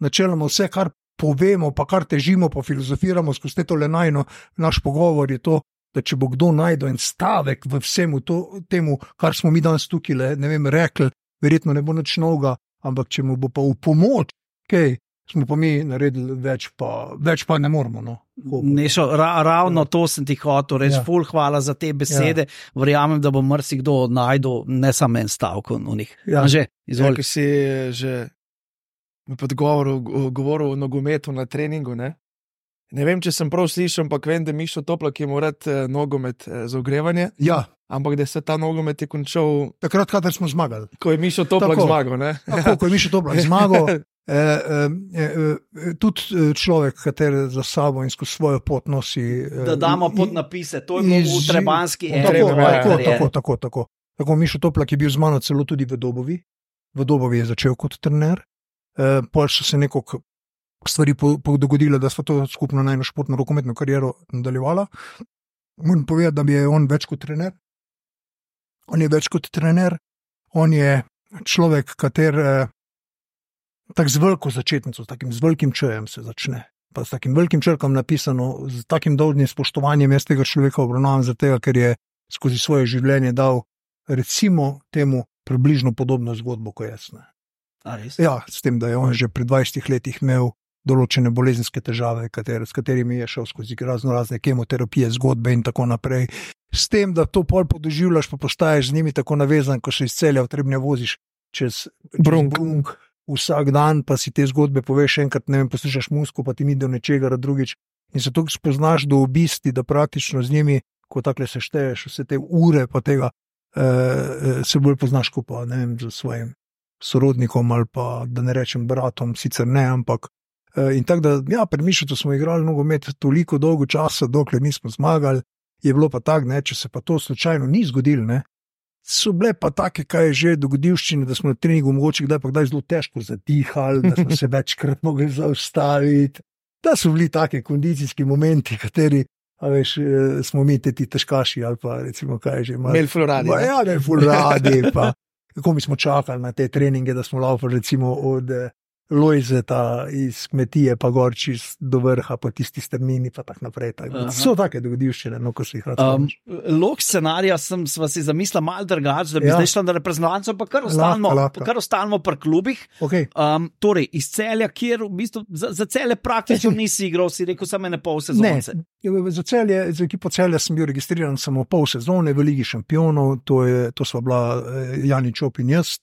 načeloma vse, kar povemo, pa kar težimo, pa filozofiramo skozi to lenajno, naš pogovor je to, da če bo kdo najdel en stavek v vsemu to, temu, kar smo mi danes tukaj le, ne vem, rekli, verjetno ne bo nič novega, ampak če mu bo pa v pomoč, okay, smo pa mi naredili več, pa, več pa ne moramo. No. Nešo, ra, ravno ja. To sem ti hotel reči, ja. Ful hvala za te besede, ja. Verjamem, da bo marsikdo najdel ne samo en stavek v njih. Ja. Že, izvoli. Ja, ki si že v podgovoru govoril o nogometu na treningu, ne? Ne vem, če sem prav slišal, ampak vem, da Mišo Toplak je moral eh, nogomet eh, za ogrevanje. Ja. Ampak da se ta nogomet je končal takrat, kadar smo zmagali. Ko je Mišo Toplak tako, zmagal, ne? Tako, ko je Mišo Toplak zmagal. E, e, e, tudi človek, kater za sabo in skozi svojo pot nosi. Da damo podnapise, to je bilo v Trebanski eri. Tako, tako, tako, tako, tako. Tako Mišo Toplak je bil z mano celo tudi v Dobovi. V Dobovi je začel kot trener. E, Pol so se nekako stvari dogodile, da sva to skupno najno športno rokometno kariero nadaljevala. Moram povedati, da je on več kot trener. On je več kot trener. On je človek, kater tako z veliko začetnico, s takim z velikim čejem se začne. Pa s takim velikim črkom napisano, z takim dolžnim spoštovanjem jaz tega človeka obravnavam za tega, ker je skozi svoje življenje dal recimo temu približno podobno zgodbo, kot jaz. Ne. A res? Ja, s tem, da je on že pri dvajsetih letih imel določene bolezenske težave, katere, s katerimi je šel skozi razno razne kemoterapije, zgodbe in tako naprej. S tem, da to pol podoživljaš, pa postaješ z njimi tako navezan, ko še iz Celja v Trebnje voziš čez Brunk. Brunk. Vsak dan pa si te zgodbe poveš enkrat, ne vem, poslušaš muziko, pa ti ni do nečega drugič in se tako spoznaš do obisti, da praktično z njimi, ko takle se šteješ vse te ure, pa tega eh, se bolj poznaš, ko pa, ne vem, z svojim sorodnikom ali pa, da ne rečem bratom, sicer ne, ampak eh, in tako da, ja, pri Mišotu smo igrali nogomet toliko dolgo časa, dokler nismo zmagali, je bilo pa tak, ne, če se pa to slučajno ni zgodilo, ne, so bile pa take, kaj je že dogodivščine, da smo na treningu mogoče kdaj pa kdaj zelo težko zadihali, da smo se večkrat mogli zaustaviti, da so bili take kondicijski momenti, kateri, a veš, smo mi te ti težkaši ali pa recimo kaj je že. Imeli ful radi. Pa, ja, imeli ful radi, pa kako mi smo čakali na te treninge, da smo laufali recimo od Lojzeta iz kmetije, pa gor čist do vrha, pa tisti strmini, pa tak naprej. Tak. So take dogodivščine, no, ko si jih rad um, Lok scenarija sem sva si zamislila malo drugače, da bi ja. zdaj šla na reprezentanco, pa kar ostanemo, kar ostanemo pri klubih. Okay. Um, torej, iz Celja, kjer v bistvu za, za Celje praktično nisi igral, si rekel samo ene pol sezonce. Ne, za Celje, za ekipo Celja sem bil registriran samo pol sezone v Ligi šampionov, to, je, to sva bila Jani Čop in jaz.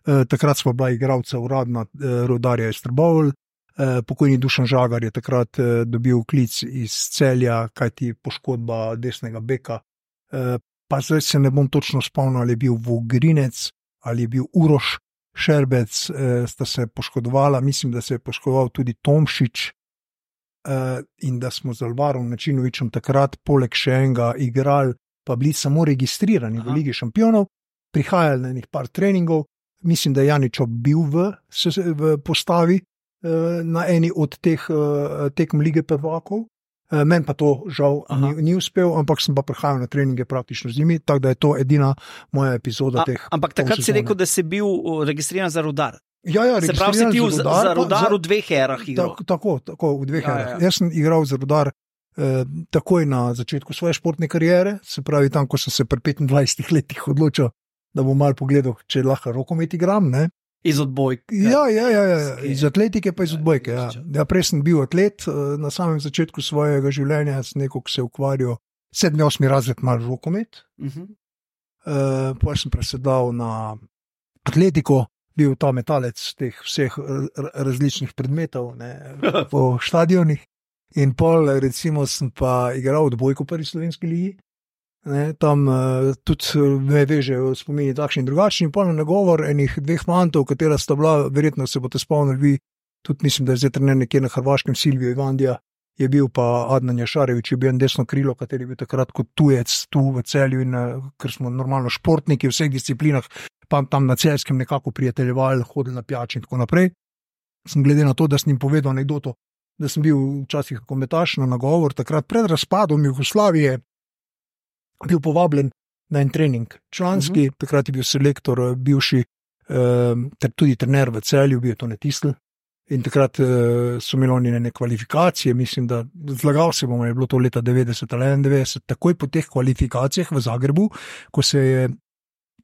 Uh, takrat smo bila igralca uradna uh, Rudarja iz Trbovelj, uh, pokojni Dušan Žagar je takrat uh, dobil klic iz Celja, kajti poškodba desnega beka, uh, pa zdaj se ne bom točno spomnil, ali je bil Vogrinec ali je bil Uroš Šerbec, uh, sta se poškodovala, mislim, da se je poškodoval tudi Tomšič uh, in da smo z Alvarom Načinovičem takrat poleg še enega igrali, pa bili samo registrirani Aha. v Ligi šampionov, prihajali na enih par treningov. Mislim, da je Janičo bil v, v postavi eh, na eni od teh eh, tekem Lige prvakov. Eh, Meni pa to žal ni, ni uspel, ampak sem pa prihajal na treninge praktično z njimi, tako da je to edina moja epizoda A, teh. Ampak takrat si rekel, da si bil registriran za Rudar. Ja, ja, se pravi, si ti za Rudar, za rudar za, v dveh erah igral. Tako, tako, v dveh ja, erah. Ja. Jaz sem igral za Rudar eh, takoj na začetku svoje športne kariere, se pravi tam, ko sem se pri petindvajsetih letih odločil, da bom malo pogledal, če lahko rokomet igram, ne? Iz odbojke. Ja, ja, ja, ja. Iz atletike pa iz odbojke, ja. Ja, prej sem bil atlet, na samem začetku svojega življenja sem nekako se ukvarjal, sedmi, osmi razred malo rokomet, uh-huh. uh, potem sem presedal na atletiko, bil ta metalec teh vseh različnih predmetov, ne, po štadionih in pol recimo sem pa igral odbojko v prvi slovenski ligi. Ne, tam uh, tudi me vežejo spomini takšni in drugačni, pa na nagovor enih dveh fantov, katera sta bila, verjetno se boste spomnili vi, tudi mislim, da je zdaj trener nekje na Hrvaškem, Silvijo Ivandija je bil, pa Adnan Jašarević je bil en desno krilo, kateri je bil takrat kot tujec tu v Celju in ker smo normalno športniki v vseh disciplinah, pa tam na Celjskem nekako prijateljevali, hodili na pijač in tako naprej. Sem glede na to, da sem jim povedal anekdoto, da sem bil včasih kometaš na nagovor, takrat pred razpadom Jugoslavije bil povabljen na en trening članski, uh-huh. takrat je bil selektor, bivši, eh, ter tudi trener v Celju, bil je to ne Tisl. In takrat eh, so imeli oni neke kvalifikacije, mislim, da zlagal se bomo, je bilo to leta devetdeset ali enaindevetdeset, takoj po teh kvalifikacijah v Zagrebu, ko se je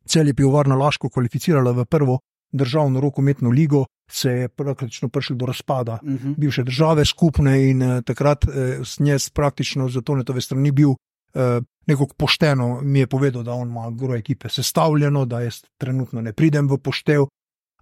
Celje Pivovarna Laško kvalificirala v prvo državno rokometno ligo, se je praktično prišlo do razpada uh-huh. bivše države skupne in eh, takrat eh, s njez praktično za Tonetove strani bil eh, nekako pošteno, mi je povedal, da on ima gro ekipe sestavljeno, da jaz trenutno ne pridem v poštev,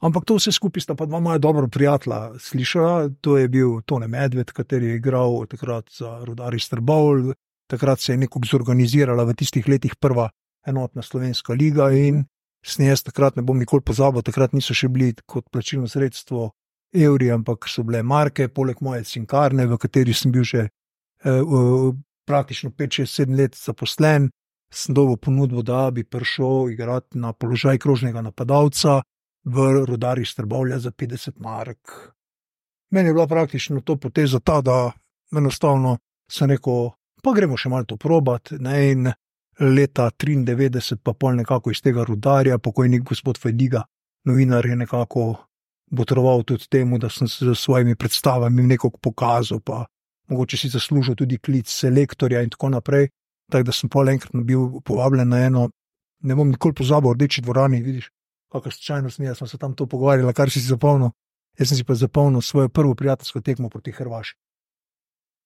ampak to vse skupaj sta pa dva moja dobro prijatelja slišala, to je bil Tone Medved, kateri je igral takrat za Rudar iz Trbovlj, takrat se je nekako zorganizirala v tistih letih prva enotna slovenska liga in s njej takrat ne bom nikoli pozabil, takrat niso še bili kot plačilno sredstvo evri, ampak so bile marke, poleg moje cinkarne, v kateri sem bil že eh, praktično pet, šest, sedem let zaposlen, sem dobil ponudbo, da bi prišel igrati na položaj krožnega napadalca v Rudar iz Trbovlja za petdeset mark. Meni je bila praktično to poteza ta, da enostavno sem rekel, pa gremo še malo to probati, ne, in leta triindevetdeset pa pol nekako iz tega Rudarja, pokojnik gospod Fajdiga, novinar, je nekako botroval tudi temu, da sem se z svojimi predstavami nekako pokazal, pa mogoče si zaslužil tudi klic selektorja in tako naprej, tako da sem pol enkrat bil povabljen na eno, ne bom nikoli pozabil, v Rdeči dvorani, vidiš, kakšna slučajnost mi je, smo se tam to pogovarjali, kar si si zapomnil, jaz sem si pa zapomnil svojo prvo prijateljsko tekmo proti Hrvaški.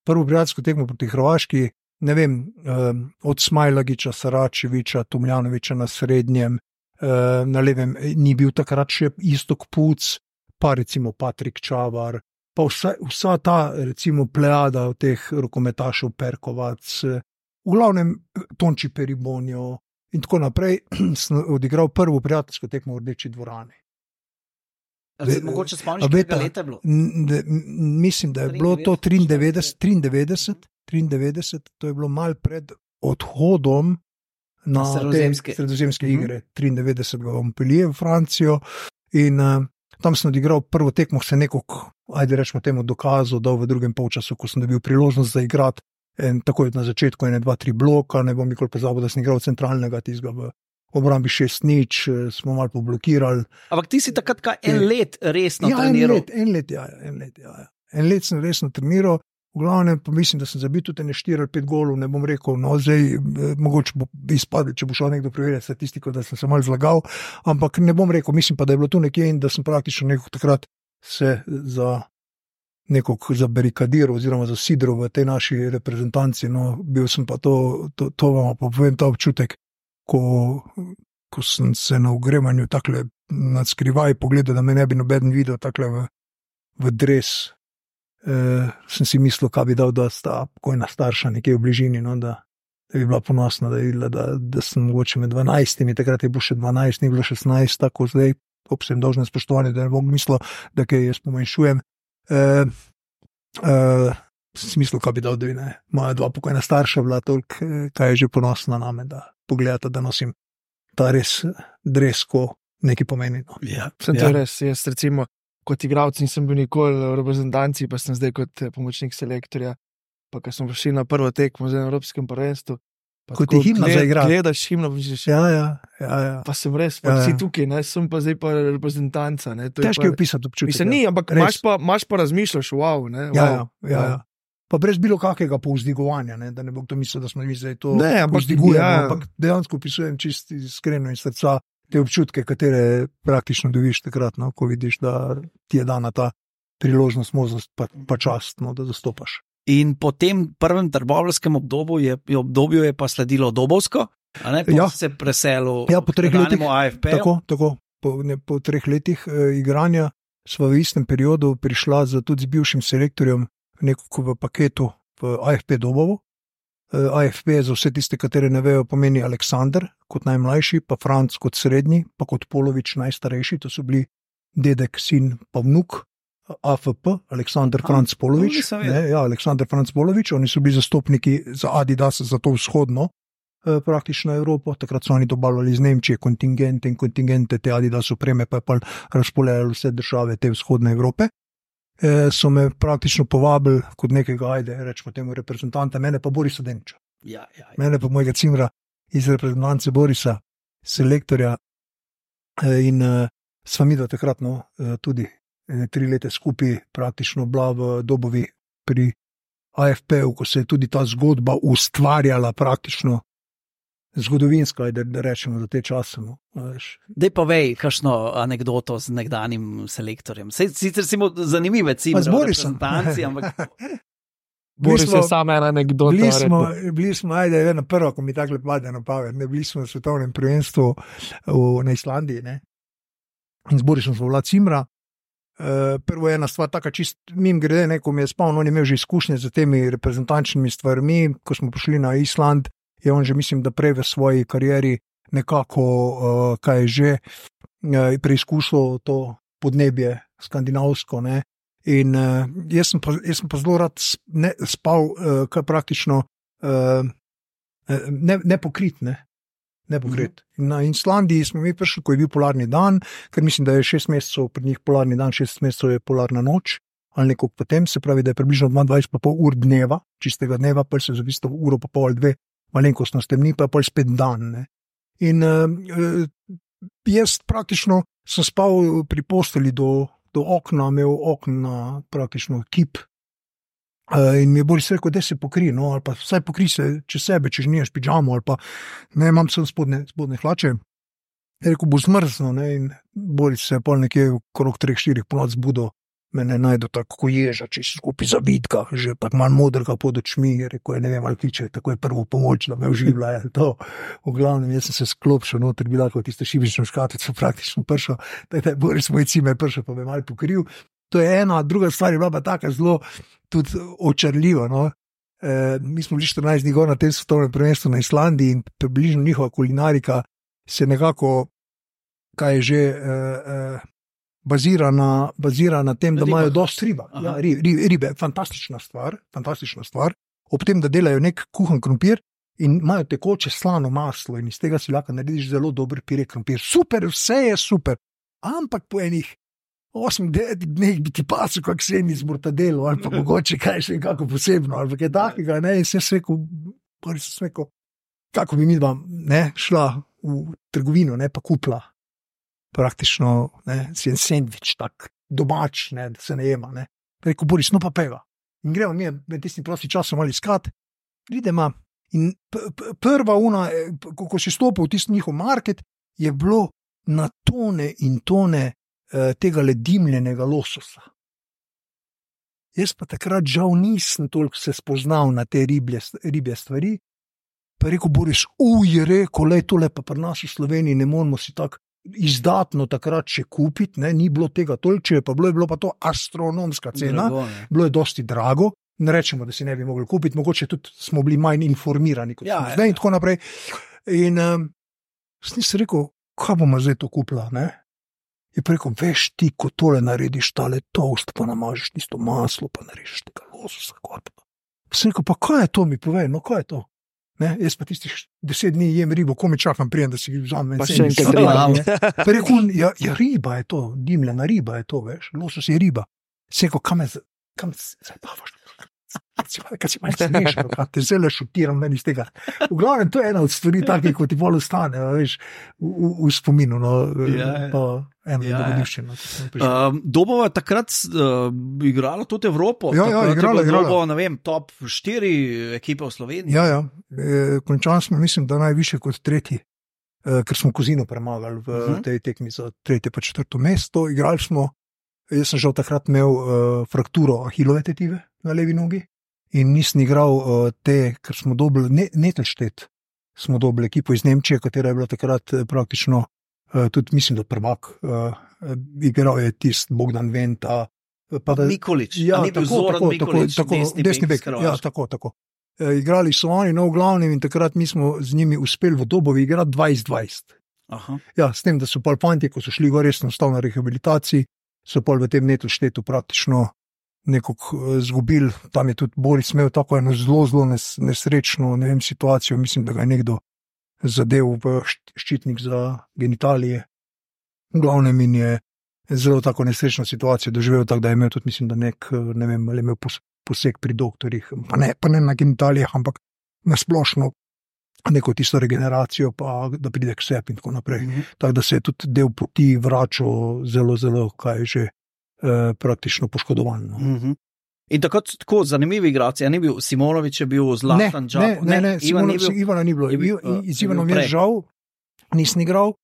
Prvo prijateljsko tekmo proti Hrvaški, ne vem, um, od Smajlagiča, Saračeviča, Tomljanoviča na srednjem, um, na levem ni bil takrat še Istok Puc, pa recimo Patrik Čavar, pa vsa, vsa ta recimo plejada od teh rokometašev, Perkovac, v glavnem Tonči Peribonjo in tako naprej, sem odigral prvo prijateljsko tekmo v Rdeči dvorani. Se mogoče spomniš, kakega leta je bilo? Mislim, da je bilo to triindevetdeset, triindevetdeset, triindevetdeset, to je bilo malo pred odhodom na sredozemske, sredozemske uh-huh. igre, triindevetdeset v Montpellier v Francijo in uh, tam sem odigral prvo tekmo, se nekako, ajde rečemo temu, dokazal, dal v drugem polčasu, ko sem dobil priložnost za igrati, in takoj na začetku ene, dva, tri bloka, ne bom nikoli pozabil, da sem igral centralnega tizga v obrambi šest nič, smo malo poblokirali. Ampak ti si takrat kaj en let resno ja, treniral? En let, en let, ja, en let, ja. En let sem resno treniral, v glavnem pa mislim, da sem zabil tudi ne štiri ali pet golov, ne bom rekel, no zdaj mogoče bo izpadli, če bo šel nekdo preverjati statistiko, da sem se malo zlagal, ampak ne bom rekel, mislim pa, da je bilo tu nekje in da sem praktično nekako takrat se za nekako zabarikadiral oziroma zasidral v tej naši reprezentanci, no bil sem pa to, to, to vam pa povem ta občutek, ko, ko sem se na ogrevanju takle nadskrivaj pogledal, da me ne bi nobeden videl takle v, v dres, e, sem si mislil, kaj bi dal, da sta pokojna starša nekje v bližini, no, da, da bi bila ponosna, da, videla, da, da sem mogoče med dvanajstimi, takrat je bilo še dvanajst, ni bilo šestnajst, tako zdaj, ob vsem dolžnem spoštovanju, da ne bom mislil, da kaj jaz pomanjšujem. E, e, sem si mislil, kaj bi dal, da bi ne, moja dva pokojna starša bila toliko, kaj je že ponosna name, da pogledate, da nosim ta res dres, ko nekaj pomeni. No. Ja, sem to ja. res, jaz recimo kot igralec nisem bil nikoli v reprezentanci, pa sem zdaj kot pomočnik selektorja, pa ko smo prišli na prvo tekmo z Evropskem prvenstvu, kot je himna za igrati. Gledaš himno, misliš, ja, ja, ja, ja. pa sem res, pa ja, si ja. tukaj, ne, sem pa zdaj pa reprezentanca. Težko je opisati občutek. Mislim, ni, ampak imaš pa, imaš pa razmišljaš, wow, ne, wow. Ja, ja, ja, ja. Pa brez bilo kakega povzdigovanja, ne, da ne bo kdo mislil, da smo mi zdaj to ne, ampak, povzdigujemo, ja. ampak dejansko opisujem čisto iskreno in srca te občutke, katere praktično dobiš takrat, no, ko vidiš, da ti je dana ta priložnost, možnost pa, pa čast, no, da zastopaš. In po tem prvem trbovljskem obdobju je, obdobju je pa sledilo Dobovsko, a ne, ja. se preselil ja, po treh letih, A F P. Tako, tako, po, ne, po treh letih eh, igranja sva v istem periodu prišla z, tudi z bivšim selektorjem nekako v paketu v A F P Dobovo. A F P za vse tiste, katere ne vejo, pomeni Aleksander kot najmlajši, pa Franc kot srednji, pa kot Polovič najstarejši, to so bili dedek, sin pa vnuk A F P, Aleksandar Franc Polovič. Ne, ja, Aleksandar Franc Polovič, oni so bili zastopniki za Adidas za to vzhodno eh, praktično Evropo, takrat so oni dobavljali iz Nemčije kontingente in kontingente te Adidas opreme, pa je pa razpoljali vse države te vzhodne Evrope. Eh, so me praktično povabili kot nekega, ajde, rečemo temu reprezentanta, mene pa Borisa Deniča. Ja, ja, ja. Mene pa mojega cimra iz reprezentance Borisa, selektorja eh, in eh, sva midva takrat no, eh, tudi eh, tri leta skupaj praktično bila v Dobovi pri A F P-u, ko se je tudi ta zgodba ustvarjala praktično zgodovinska, da, da rečemo za te čase. No. Dej pa vej, kakšno anekdoto z nekdanjim selektorjem. Sej, sicer si mu zanimive cimre v reprezentanci, ampak... Boris je samo ena anekdota. Bili smo, bili smo, ajde, ena prva, ko mi tako pade na pamet, ne, bili smo v svetovnem prvenstvu v, na Islandiji, ne, in z Borisom smo bila cimra. Uh, prvo je ena stvar, taka čist mim grede, ne, ko mi je spal, on je imel že izkušnje z temi reprezentančnimi stvarmi, ko smo prišli na Island, je on že, mislim, da prej v svoji karieri nekako, uh, kaj je že, uh, preizkušal to podnebje skandinavsko, ne. In uh, jaz, sem pa, jaz sem pa zelo rad ne, spal, uh, kaj praktično uh, ne, ne pokrit, ne, ne pokrit. Mm-hmm. Na Islandiji smo mi prišli, ko je bil polarni dan, ker mislim, da je šest mesecev pri njih polarni dan, šest mesecev je polarna noč, ali nekako potem, se pravi, da je približno dvaindvajset pa pol ur dneva, čistega dneva, pa se zavisto uro pa pol ali dve, malenkostno stemni, pa je pol spet dan, ne. In uh, jaz praktično sem spal pri posteli do do okna, imel okna praktično kip uh, in mi je Boris rekel, da se pokri, no, ali pa vsaj pokri se čez sebe, če že nimaš pižamo, ali pa ne, imam sem spodne, spodne hlače. Je rekel, bo zmrzno, ne, in Boris se je pol nekje okrog treh, štirih ponoc zbudil, mene najdo tako ježa, če si skupaj zabitka, že tako malo modrega pod očmi, je rekel, ne vem, ali kliče, tako je prvo pomoč, da me oživlja, je to. V glavnem, jaz sem se sklopšel noter, bila kot tisto šibično škatico praktično pršel, da je Boris moj cime pršel, pa me malo pokril. To je ena, druga stvar je bila pa taka zelo tudi očarljiva, no. E, mi smo bili štirinajst dni gor na tem svetovnem prvenstvu na Islandiji in približno njihova kulinarika se nekako, kaj je že, e, e, Bazira na, bazira na tem, da riba. Imajo dosti riba. Ja, ribe, ribe, fantastična stvar, fantastična stvar. Ob tem, da delajo nek kuhan krompir in imajo tekoče slano maslo in iz tega si lahko narediš zelo dober pire krompir. Super, vse je super. Ampak po enih osmih, devetih dneh bi ti pasel kak semi z mortadelo ali pa mogoče kaj še nekako posebno ali kaj takega. Ne? In sem se rekel, prvi sem rekel, kako bi mi dva ne, šla v trgovino, ne, pa kupla. Praktično, ne, si en sendvič, tak domač, ne, da se ne jema, ne. Rekel, Boris, no pa peva. In gremo mi med tistim prosti časom ali iskat, pridemo in p- p- prva una, ko, ko si stopil v tisti njihov market, je bilo na tone in tone eh, tega ledimljenega lososa. Jaz pa takrat žal nisem toliko se spoznal na te riblje, ribje stvari, pa je rekel, Boris, uj, je rekel, lej, tole pa pri nas v Sloveniji ne moramo si tako izdatno takrat še kupiti, ne, ni bilo tega toliko, pa bilo je bilo pa to astronomska cena, drago, bilo je dosti drago, ne rečemo, da si ne bi mogli kupiti, mogoče tudi smo bili manj informirani kot ja, smo zdaj in tako naprej. In um, sem si rekel, kaj bomo zdaj to kupila, ne? Je pa rekel, veš ti, ko tole narediš, tale toast, pa namažiš tisto maslo, pa narediš tega lososa, kaj pa. Sem rekel, pa kaj je to, mi povej, no kaj je to? Ne, jaz pa tistih deset dni jem ribo, ko mi čakam prijem, da si vzamem. Pa še enkrat riba. Pa rekel, ja, ja, riba je to, dimljena riba je to, veš, losos je riba. Se rekel, kam je, kam se zabavaš? Kaj si malo smešno, kaj te zelo šutiram meni iz tega. V glavnem, to je ena od stvari takih, ko ti bolj ostane, veš, v, v, v spominu, no, ja, pa eno ja, dogodivščino. Ja. Um, Dobova je takrat uh, igrala tudi Evropo. Ja, ja, igrala, igrala. Dobo, ne vem, top štiri ekipe v Sloveniji. Ja, ja, e, končali smo, mislim, da najviše kot tretji, e, ker smo Kozino premagali v uh-huh. tej tekmi za tretje pa četrto mesto. Igrali smo, jaz sem žal takrat imel uh, frakturo ahilove tetive na levi nogi. In nisem igral uh, te, ker smo dobili, ne, Netelštet, smo dobili ekipo iz Nemčije, katera je bila takrat praktično, uh, tudi mislim, da prvak, uh, igral je tist Bogdan Venta. Pa da, Mikolič, ja, ni bil Zoran Mikolič, tako, desni, desni bek, ja, tako, tako. Uh, igrali so oni, no, v glavnem, in takrat mi smo z njimi uspeli v Dobovi igrati dvajset dvajset. Aha. Ja, s tem, da so pol fantje, ko so šli gor, res enostavno na rehabilitaciji, so pol v tem netu štetu praktično nekako zgubili. Tam je tudi Boris imel tako eno zelo, zelo nes, nesrečno ne vem, situacijo. Mislim, da ga je nekdo zadev v ščitnik za genitalije. V glavnem in je zelo tako nesrečno situacijo doživel, tako da je imel tudi, mislim, da nek, ne vem, ali je imel poseg pri doktorjih, pa ne, pa ne na genitalijah, ampak na splošno neko tisto regeneracijo, pa da pride k sebi in tako naprej. Mm-hmm. Tako da se je tudi del poti vračal zelo, zelo, kaj že, eh, praktično poškodovan. No. Mm-hmm. In tako, tako zanimivi igralci, ja, ni bil Simonovič, je bil Zlatan Džap. Ne, ne, ne, ne Ivan Simonovič, Ivana ni bilo. bil, uh, z Ivanom je žal, nisem igral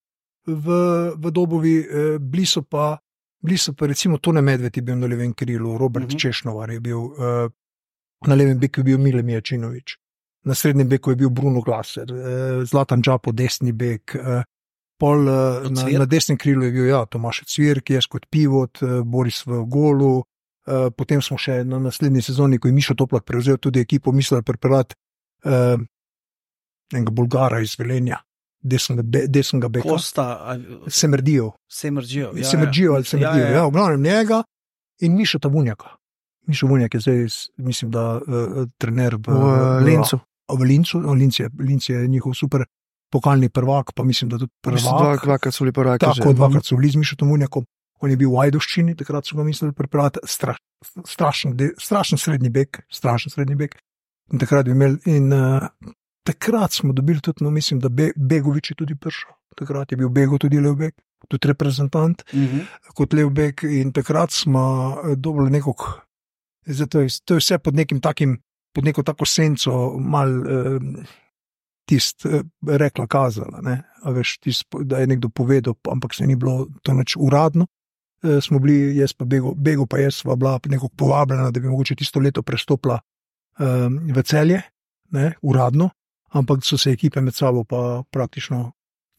v, v Dobovi, eh, bili so pa, bili so pa recimo Tone Medved je bil na levem krilu, Robert mm-hmm. Češnovar je bil, eh, na levem beku je bil Mile Mijačinovič. Na srednjem beku je bil Bruno Glaser, eh, Zlatan Džapo, desni bek, eh, pol eh, na, na desnem krilu je bil ja, Tomaš Cvirk, jaz kot pivot, eh, Boris v golu, eh, potem smo še na naslednji sezoni, ko je Mišo Toplak prevzel tudi ekipo, mislili pripeljati eh, enega Bulgara iz Velenja, desnega, be, desnega beka. Kosta, a... Semrdijo. Semrdijo, ja. Semrdijo ali Semrdijo, ja, ja. ja, v glavnem njega in Mišo Tabunjaka. Mišo Vunjak je zdaj, mislim, da uh, trener v, v Lincu. V Lincu, v Lincu je, Linc je njihov super pokalni prvak, pa mislim, da tudi prvak. Dvakrat so bili prvaki. Tako, dvakrat so bili z Mišo Tabunjakom. On je bil v Ajdoščini, takrat so ga mislili pripeljati, straš, strašen, strašen srednji bek, strašen srednji bek. In takrat bi imeli, in uh, takrat smo dobili tudi, no mislim, da Be, Begovič je tudi prišel. Takrat je bil Bego tudi Levbek, tudi reprezentant, mm-hmm. kot Levbek in takrat smo dobili nekog. Zato je, to je vse pod nekim takim, pod neko tako senco, mal eh, tist eh, rekla kazala, ne, a veš, tist, da je nekdo povedal, ampak se ni bilo to nič uradno. Eh, smo bili, jaz pa Bego, Bego pa jaz sva bila nekako povabljena, da bi mogoče tisto leto prestopila eh, v Celje, ne, uradno, ampak so se ekipe med sabo pa praktično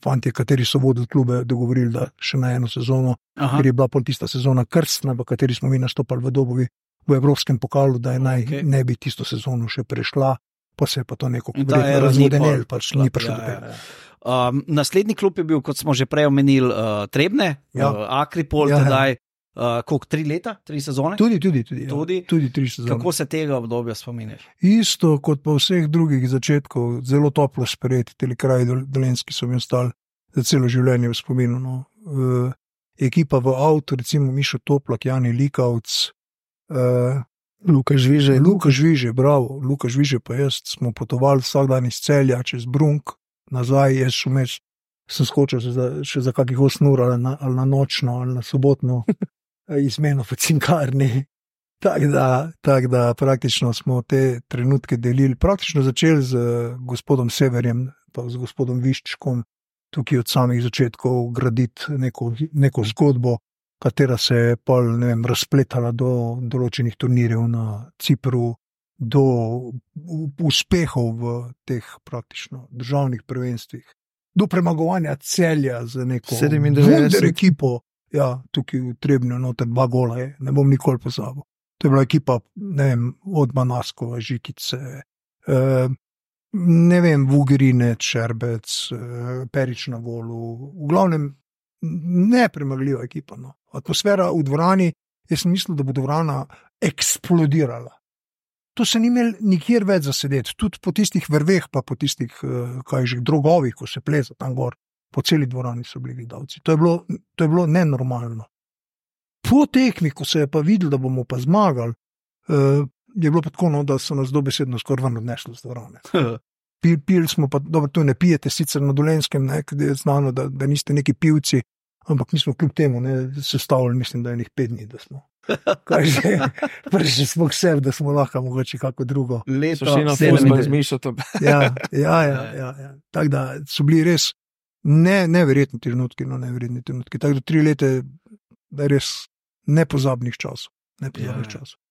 fantje, kateri so vodili klube, dogovorili, da še na eno sezono, Aha. ker je bila pol tista sezona krstna, v kateri smo mi nastopali v Dobovi, v evropskem pokalu, da je naj okay. ne bi tisto sezono še prešla, pa se je pa to neko razvodenel, pač ni prišlo do tega. Ja, ja. um, naslednji klub je bil, kot smo že prej omenili, uh, Trebne, ja. uh, Akripol, ja, tedaj, uh, koliko, tri leta, tri sezone? Tudi, tudi, tudi, tudi? Ja. tudi tri sezone. Kako se tega obdobja spominješ? Isto kot pa vseh drugih začetkov, zelo toplo sprejeti, teli kraji dolenski so mi ostali za celo življenje v spominu. No. Uh, ekipa v avtu, recimo Mišo Toplak, Jani Likavc, Uh, Luka Žviže, Luka Žviže, bravo, Luka Žviže pa jaz smo potovali vsak dan iz Celja čez Brunk, nazaj, jaz šumeš, sem skočil še za, še za kakih osem ur ali na, ali na nočno ali na sobotno izmeno v cinkarni. Tako da, tak da praktično smo te trenutke delili, praktično začeli z gospodom Severjem, pa z gospodom Viščkom, tukaj od samih začetkov graditi neko, neko zgodbo, katera se je pol, ne vem, razpletala do določenih turnirjev na Cipru, do uspehov v teh praktično državnih prvenstvih, do premagovanja Celja z neko wunder ekipo, ja, tukaj v Trebnju, noter dva gola je, ne bom nikoli pozabil. To je bila ekipa, ne vem, od Manaskova, Žikice, eh, ne vem, Vugrine, Čerbec, eh, Perič na Volu, v glavnem nepremagljiva ekipa, no. Atmosfera v dvorani, jaz sem mislil, da bo dvorana eksplodirala. To se ni imel nikjer več zasedeti, tudi po tistih vrveh, pa po tistih, kaj že, drogovih, ko se pleza tam gor, po celi dvorani so bili gledalci. To je bilo, to je bilo nenormalno. Po tekmi, ko se je pa videl, da bomo pa zmagali, je bilo pa tako, no, da so nas dobesedno skoraj ven odnesli z dvorane. Pil, pil smo pa, dobro, tu ne pijete, sicer na Dolenskem, ne, je znano, da, da niste neki pivci, ampak mi smo kljub temu ne, sestavili, mislim, da je nekaj pet dni, da smo. Kaj že, prišli smo k sebi, da smo lahko mogoče kako drugo. Leto, sedem razmišljati. Ja, ja, ja, ja, ja. Tako da so bili res ne, neverjetni trenutki, no neverjetni trenutki. Tako da tri leta je res nepozabnih časov. Nepozabnih ja. časov.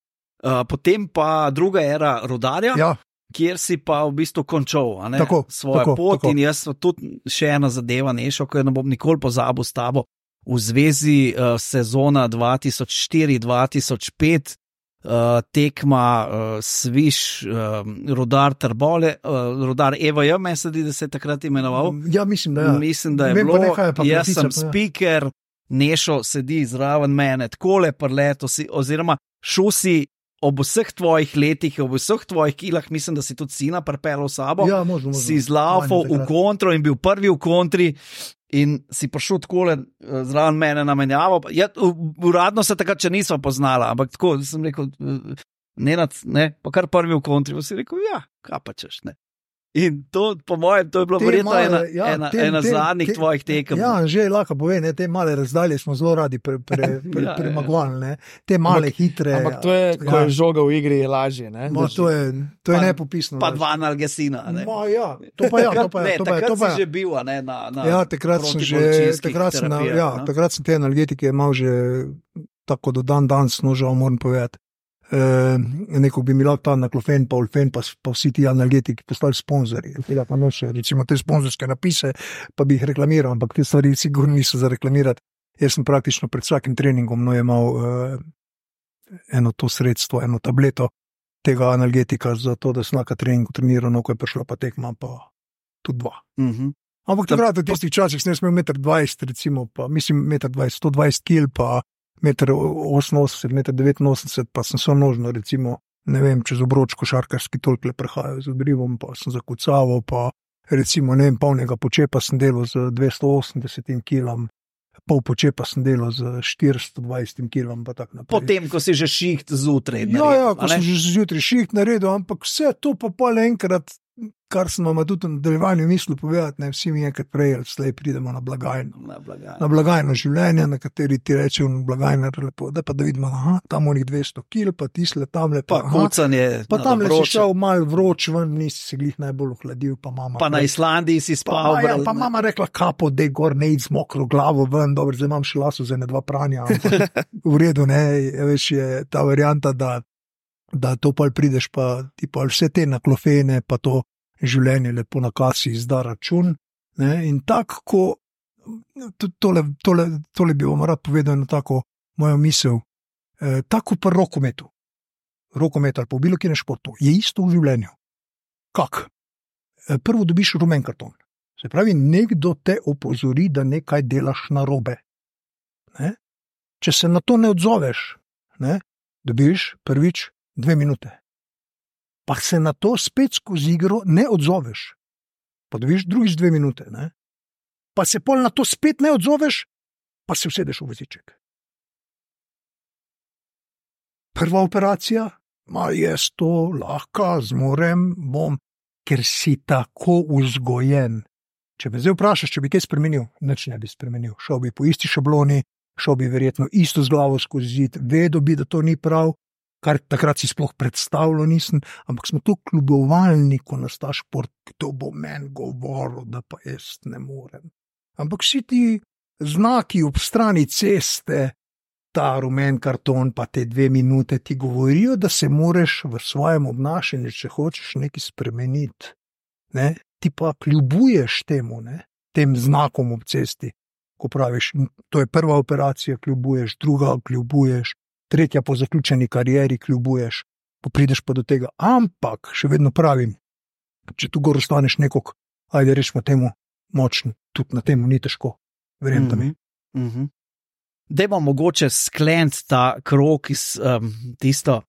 Uh, potem pa druga era Rudarja. Ja. Kjer si pa v bistvu končal a ne, tako, svojo tako, pot tako. In jaz tudi še ena zadeva nešel, ko jo ne bom nikoli pozabil s tabo v zvezi uh, sezona dva tisoč štiri dva tisoč pet, uh, tekma uh, Sviš, uh, Rudar Trbole, uh, Rudar E V J, me se di, da se je takrat imenoval. Ja, mislim, da, ja. Mislim, da je Vem, bilo, nekaj, jaz sem speaker, Nešo sedi zraven mene, takole prleto si, oziroma šel si ob vseh tvojih letih, ob vseh tvojih kilah, mislim, da si tudi sina pripeljal s sabo, ja, možno, možno. si zlaufal v kontro in bil prvi v kontri in si prišel takole zraven mene na menjavo. Ja, uradno se takrat še nisva poznala, ampak tako sem rekel, Nenad, ne, pa kar prvi v kontri, pa si rekel, ja, kaj pa češ, ne. In to, po mojem, to je bilo verjetno ena, ja, ena, tem, ena tem, zadnjih tem, tvojih tekem. Ja, že lahko pove, ne, te male razdalje smo zelo radi pre, pre, pre, ja, premagovali, ne, te male, ampak, hitre. Ampak to je, ko ja. je žoga v igri, je lažje, ne. Ma, to je, to je pa, nepopisno. Pa dva analgesina, ne. Ma, ja, to pa ja, to pa ja. Ne, to pa, takrat to pa, si že bil, ne, na, na ja, takrat sem že, takrat sem, na, ja, no? takrat sem te analgetike imel že tako do dan danes, no, žal moram povedati. E, neko bi mi lahko ta naklofen, pa ulfen, pa, pa vsi ti analgetiki postali sponzori. Pa noče, recimo te sponzorske napise, pa bi jih reklamiral, ampak te stvari sigurno niso za reklamirati. Jaz sem praktično pred vsakim treningom no, imel uh, eno to sredstvo, eno tableto tega analgetika, zato da sem na treningu treniral, no, ko je prišla pa tekma, pa tudi dva. Mm-hmm. Ampak takrat v tistih časih sem smel meter dvajset, recimo, pa mislim meter dvajset, sto dvajset kil, pa meter oseminosemdeset, meter devetinosemdeset, pa sem samo nožno, recimo, ne vem, čez obroč košarkarski toliko le prehajal z odrivom, pa sem zakucaval, pa recimo, ne vem, polnega počepa sem delal z dvesto osemdeset kilom, pol počepa sem delal z štiristo dvajset kilom, pa tak naprej. Potem, ko si že šiht zjutraj naredil. Ja, ja, ko sem že zjutraj šiht naredil, ampak vse to pa pol enkrat, kar sem vam tudi v nadaljevanju mislil povedati, ne, vsi mi enkrat prej ali slej pridemo na blagajno. Na blagajno. Na blagajno življenja, na kateri ti reče v blagajno lepo, da pa da vidimo, aha, tam onih dvesto kil, pa tisle tamle, pa kucanje. Pa tamle si šel mal vroč ven, nisi se glih najbolj ohladil, pa mama. Pa na Islandiji si spal. Pa, ja, pa mama rekla, kapo, dej gor, ne id z mokro glavo ven, dobro, zdaj imam še laso za ne dva pranja. V redu, ne, veš, je ta varianta, da, da to pa prideš, pa ti pa vse te naklofene, pa to življenje lepo na kasi izda račun, ne, in tako, ko tole, tole, tole bi vam rad povedal na tako mojo misel, eh, tako pa rokometu, rokomet ali po bilo kjenem športu, je isto v življenju. Kak? Eh, prvo dobiš rumen karton, se pravi, nekdo te opozori, da nekaj delaš narobe. Ne? Če se na to ne odzoveš, ne, dobiš prvič dve minute. Pa se na to spet skozi igro ne odzoveš. Pa dobiš drugič dve minute, ne? Pa se pol na to spet ne odzoveš, pa se usedeš v voziček. Prva operacija, ma jaz to lahko zmorem, bom, ker si tako vzgojen. Če me zdaj vprašaš, če bi kaj spremenil, nič ne bi spremenil. Šel bi po isti šabloni, šel bi verjetno isto z glavo skozi zid, vedel bi, da to ni prav, kar takrat si sploh predstavljal nisem, ampak smo to kljubovalni, ko nas ta šport, kdo bo meni govoril, da pa jaz ne morem. Ampak vsi ti znaki ob strani ceste, ta rumen karton, pa te dve minute ti govorijo, da se moreš v svojem obnašanju, če hočeš nekaj spremeniti. Ne? Ti pa kljubuješ temu, ne? Tem znakom ob cesti, ko praviš, to je prva operacija, kljubuješ, druga kljubuješ, tretja po zaključeni karieri kljubuješ, pa prideš pa do tega. Ampak, še vedno pravim, če tu gor ostaneš nekog, ajde rečemo temu, močen, tudi na temu ni težko, verjemite mi. Mm -hmm. Dajmo mogoče skleniti ta krog iz um, tisto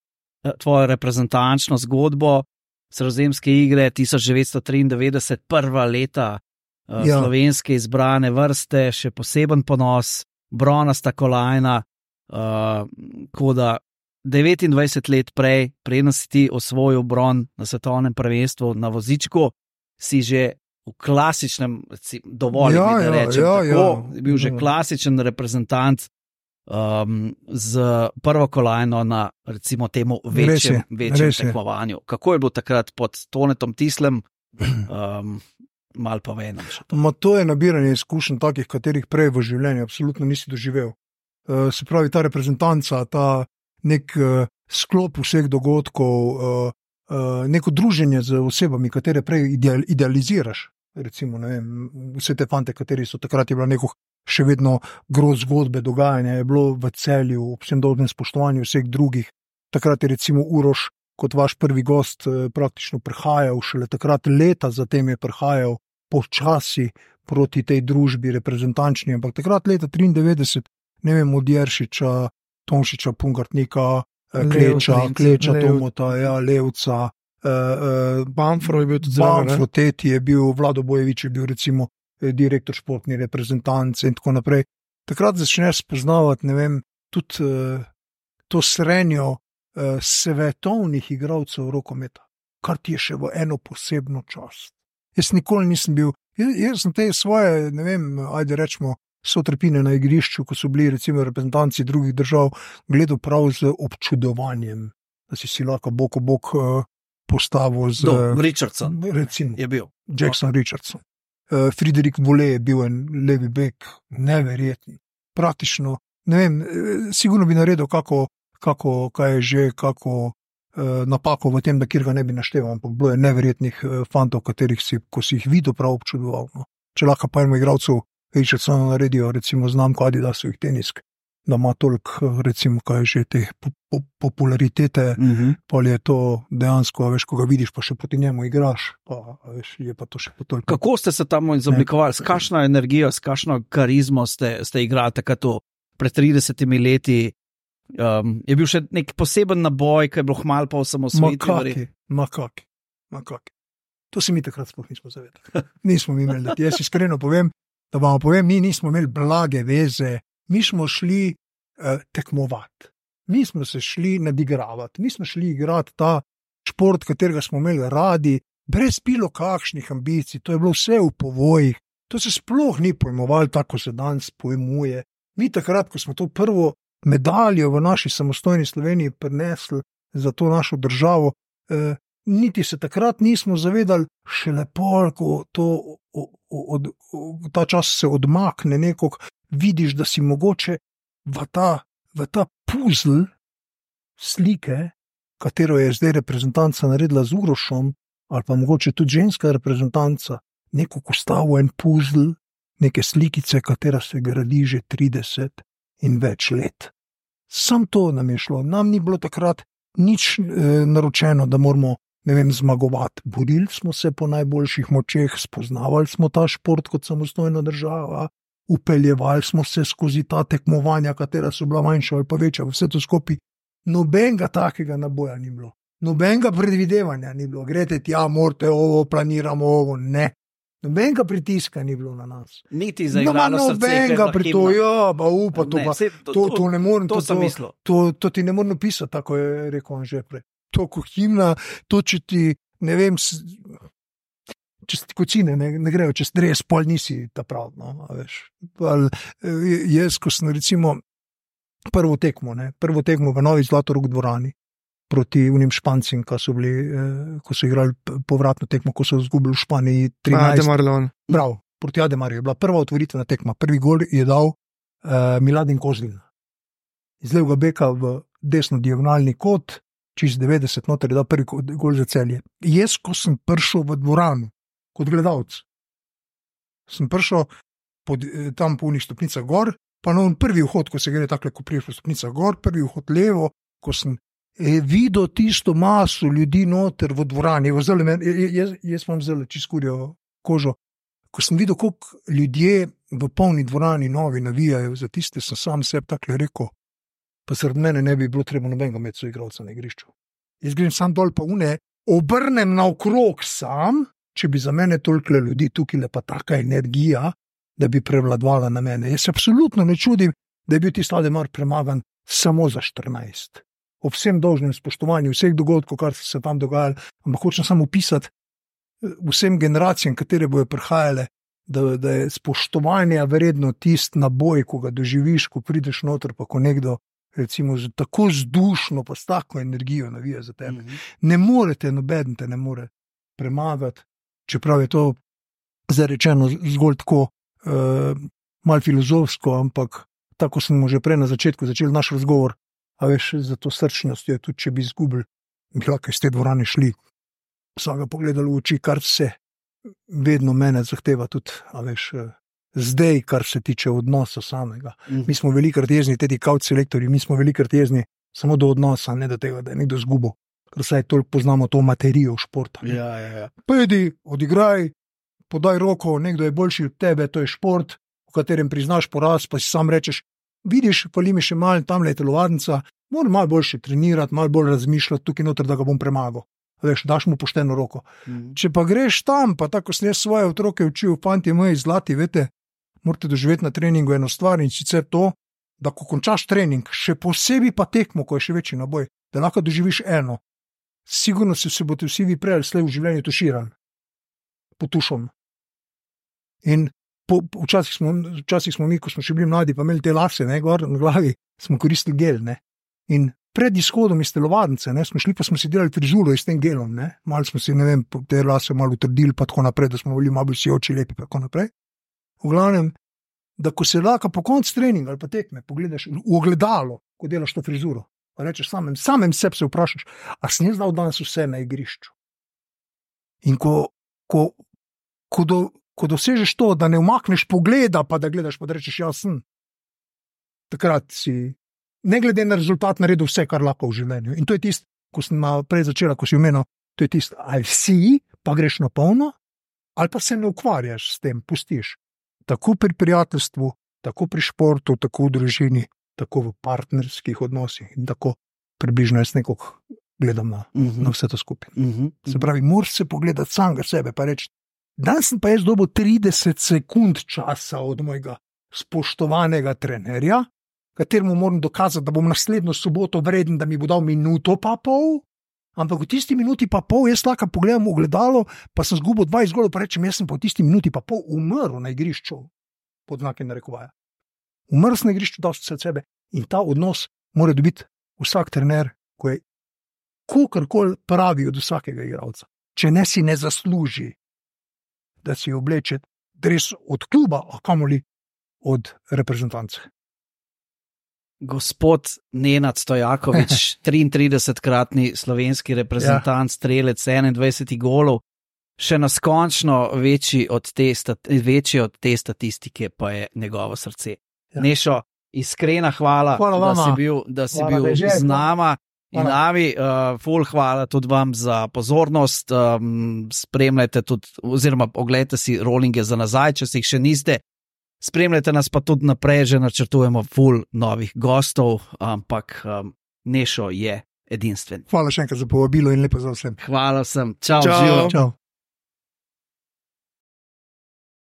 tvojo reprezentančno zgodbo, Sredozemske igre tisoč devetsto triindevetdeset, prva leta uh, ja. slovenske izbrane vrste, še poseben ponos, bronasta kolajna, Uh, ko da devetindvajset let prej, preden si ti osvojil bron na svetovnem prvenstvu na vozičku, si že v klasičnem, dovolj ja, mi da rečem, ja, ja, tako, ja. bil že klasičen reprezentant um, z prvo kolajno na recimo temu večjem, večjem tekmovanju. Kako je bilo takrat pod Tonetom Tislem? Um, mal pa venem. Ma to je nabiranje izkušenj takih, katerih prej v življenju absolutno nisi doživel. Uh, se pravi, ta reprezentanca, ta nek uh, sklop vseh dogodkov, uh, uh, neko druženje z osebami, katere prej ideal, idealiziraš. Recimo, ne vem, vse te fante, kateri so takrat je bila neko še vedno groz zgodbe dogajanja, je bilo v Celju, ob vsem dolžnem spoštovanju vseh drugih. Takrat je recimo Uroš kot vaš prvi gost uh, praktično prihajal, šele takrat leta zatem je prihajal počasi, proti tej družbi reprezentančni, ampak takrat leta triindevetdeset, ne vem, od Jeršiča, Tomšiča, Pungartnika, Kleča, Lev, Kleča, Lev. Tomota, ja, Levca, uh, uh, Banfro je bil tudi zraven. ne? Banfro, Teti je bil, Vlado Bojevič je bil recimo eh, direktor športni reprezentance in tako naprej. Takrat začneš spoznavati, ne vem, tudi uh, to srenjo uh, svetovnih igralcev rokometa, kar ti je še v eno posebno čast. Jaz nikoli nisem bil, jaz, jaz sem te svoje, ne vem, ajde rečemo, sotrpine na igrišču, ko so bili recimo reprezentanci drugih držav, gledal prav z občudovanjem, da si si lahko bok o bok uh, postavil z Do, Richardson recimo je bil. Jackson Richardson. Uh, Friedrich Volley je bil en levi bek, neverjetni. Praktično, ne vem, eh, sigurno bi naredil kako, kako kaj je že, kako uh, napako v tem, da kjer ga ne bi našteval, ampak bilo je neverjetnih uh, fantov, katerih si, ko si jih videl, prav občudoval. No. Če lahko pa enemu igralcu Richardsonu naredijo, recimo znamko Adidasovih tenisk, da ima toliko, recimo, kaj je že te po, po, popularitete, Mhm. pa je to dejansko, a veš, ko ga vidiš, pa še proti njemu igraš, pa a veš, je pa to še toliko. Kako ste se tam izoblikovali, s kakšno energijo, s kakšno karizmo ste, ste igrali takrat to pred tridesetimi leti? Um, je bil še nek poseben naboj, ki je bilo hmal po osamosvojitvi? Makaki, makaki, makaki. To se mi takrat sploh nismo zavedali. Nismo mi imeli, da ti jaz iskreno povem, da vam povem, mi nismo imeli blage veze, mi smo šli uh, tekmovati, mi smo se šli nadigravati, mi smo šli igrati ta šport, katerega smo imeli radi, brez bilo kakšnih ambicij, to je bilo vse v povojih, to se sploh ni pojmovalo tako, se danes pojmuje. Mi takrat, ko smo to prvo medaljo v naši samostojni Sloveniji prinesli za to našo državo, eh, niti se takrat nismo zavedali, šele pol, ko to, od, od, od, ta čas se odmakne nekog, vidiš, da si mogoče v ta, v ta puzl slike, katero je zdaj reprezentanca naredila z Urošom, ali pa mogoče tudi ženska reprezentanca, neko postavo en puzl, neke slikice, katera se gradi že trideset in več let. Sam to nam je šlo, nam ni bilo takrat nič e, naročeno, da moramo, ne vem, zmagovati. Borili smo se po najboljših močeh, spoznavali smo ta šport kot samostojna država, upeljevali smo se skozi ta tekmovanja, katera so bila manjša ali pa večja, vse to skupaj. Nobenega takega naboja ni bilo, nobenega predvidevanja ni bilo, grete tja, morate ovo, planiramo ovo, ne. Nobenega pritiska ni bilo na nas. Niti za igrano srce. Nobenega pri to, ja, pa upa, to, Ne, pa, saj to- to, to- to ne morem, To to, sem to, mislil. to, to ti ne morem napisati, tako je rekel on že prej. To ko himna, to če ti, ne vem, s- čez ti kocine ne, ne grejo, čez dres, pol nisi ta prav, no, a veš. Pol, eh, jaz, ko sem recimo prvo tekmo, ne, prvo tekmo v Novi Zlatorog dvorani, proti unim Špancim, ko so bili, eh, ko so igrali p- povratno tekmo, ko so izgubili v Španiji trinajst. Ade Marlon. Prav, proti Ademarju je bila prva otvoritvena tekma. Prvi gol je dal uh, Miladin Kozlin. Iz levega beka v desno diagonalni kot, čez devetdeset noter je dal prvi ko- gol za Celje. Jaz, ko sem prišel v dvorano kot gledalec, sem prišel pod, eh, tam po unih stopnicah gor, pa na on prvi vhod, ko se gre takle, ko priješ po stopnicah gor, prvi vhod levo, ko sem eh, videl tisto maso ljudi noter v dvorani, v zelo, men- j- jaz, jaz imam zelo čiskurjo kožo. Ko sem videl, koliko ljudje v polni dvorani novi navijajo za tiste, sem sam sebi tako rekel, pa sredi mene ne bi bilo treba nobenega med soigralca na igrišču. Jaz grem sam dol pa une, obrnem naokrog sam, če bi za mene toliko ljudi tukaj le pa taka energija, da bi prevladovala na mene. Jaz se absolutno ne čudim, da je bil tisti Ademar premagan samo za štirinajst. Ob vsem dolžnem spoštovanju vseh dogodkov, kar so se tam dogajali, ampak hočem samo opisati vsem generacijam, katere bojo prihajale, da, da je spoštovanje vredno tisti naboj, ko ga doživiš, ko prideš noter, pa ko nekdo recimo z tako zdušno, pa s tako energijo navija za tebe. Mhm. Ne morete, noben te ne more premagati, čeprav je to zdaj rečeno zgolj tako uh, malo filozofsko, ampak tako smo že prej na začetku začeli naš razgovor, a veš, za to srčnost je tudi, če bi izgubili, bi lahko iz te dvorane šli, vsega pogledali v oči, kar se vedno mene zahteva tudi, a veš, eh, zdaj, kar se tiče odnosa samega. Mhm. Mi smo velikrat jezni, tudi kaut selektorji, mi smo velikrat jezni samo do odnosa, ne do tega, da je nekdo zgubil, ker vsaj toliko poznamo to materijo športa. ne. Ja, ja, ja. Pojdi, odigraj, podaj roko, nekdo je boljši od tebe, to je šport, v katerem priznaš poraz, pa si sam rečeš, vidiš, fali mi še malo, tamle je telovadnica, moram malo boljše trenirati, malo bolj razmišljati tukaj noter, da ga bom premagal. Veš, daš mu pošteno roko. Mm. Če pa greš tam, pa tako sem jaz svoje otroke učil, fanti moji zlati, vete, morate doživeti na treningu eno stvar in sicer to, da ko končaš trening, še posebej pa tekmo, ko je še večji naboj, da lahko doživiš eno. Sigurno se, se boste vsi vi prej ali slej v življenju tuširali. Potušom. In po, po, včasih, smo, včasih smo mi, ko smo še bili mladi, pa imeli te lase, ne, gor na glavi, smo koristili gel, ne. In pred izhodom iz telovadnice, ne, smo šli, pa smo si delali frizuro s tem gelom, ne. Malo smo si, ne vem, te lase malo utrdili, pa tako naprej, da smo bili malo bolj sijoči, lepi, pa tako naprej. V glavnem, da ko se lahko po koncu treninga ali pa tekme, pogledaš v ogledalo, ko delaš to frizuro, pa rečeš samem, samem sebi se vprašaš, a sem jaz dal danes vse na igrišču. In ko, ko, ko, do, ko dosežeš to, da ne umakneš pogleda, pa da gledaš, pa da rečeš, ja sem, takrat si, ne glede na rezultat, naredil vse, kar lahko v življenju. In to je tisto, ko sem prej začela, ko si omenil, to je tisto, ali si, pa greš na polno, ali pa se ne ukvarjaš s tem, pustiš. Tako pri prijateljstvu, tako pri športu, tako v družini, tako v partnerskih odnosih in tako približno jaz nekako gledam na, uh-huh. na vse to skupaj. Uh-huh. Se pravi, moraš se pogledati samega sebe pa reči, danes sem pa jaz dobil trideset sekund časa od mojega spoštovanega trenerja, kateremu moram dokazati, da bom naslednjo soboto vreden, da mi bo dal minuto pa pol, ampak v tisti minuti pa pol jaz lahko pogledam v ogledalo, pa sem zgubil dvajset golov, pa rečem, jaz sem pa v tisti minuti pa pol umrl na igrišču, pod znaki narekovaja. Umrl sem na igrišču, dal sem se od sebe in ta odnos mora dobiti vsak trener, ko je kakorkoli pravi od vsakega igralca. Če ne si ne zasluži, da si obleče dres od kluba, a kamoli od reprezentance. Gospod Nenad Stojakovič, triintridesetkratni slovenski reprezentant, ja. Strelec enaindvajset golov, še naskončno večji od, te, večji od te statistike pa je njegovo srce. Ja. Nešo, iskrena hvala, hvala da si bil, da si hvala, bil z nama in nami. Uh, ful hvala tudi vam za pozornost. Um, spremljajte tudi, oziroma oglejte si rollinge za nazaj, če si jih še niste. Spremljajte nas pa tudi naprej, že načrtujemo ful novih gostov, ampak um, Nešo je edinstven. Hvala še enkrat za povabilo in lepo za vsem. Hvala vsem. Čau, čau. Živo. Čau.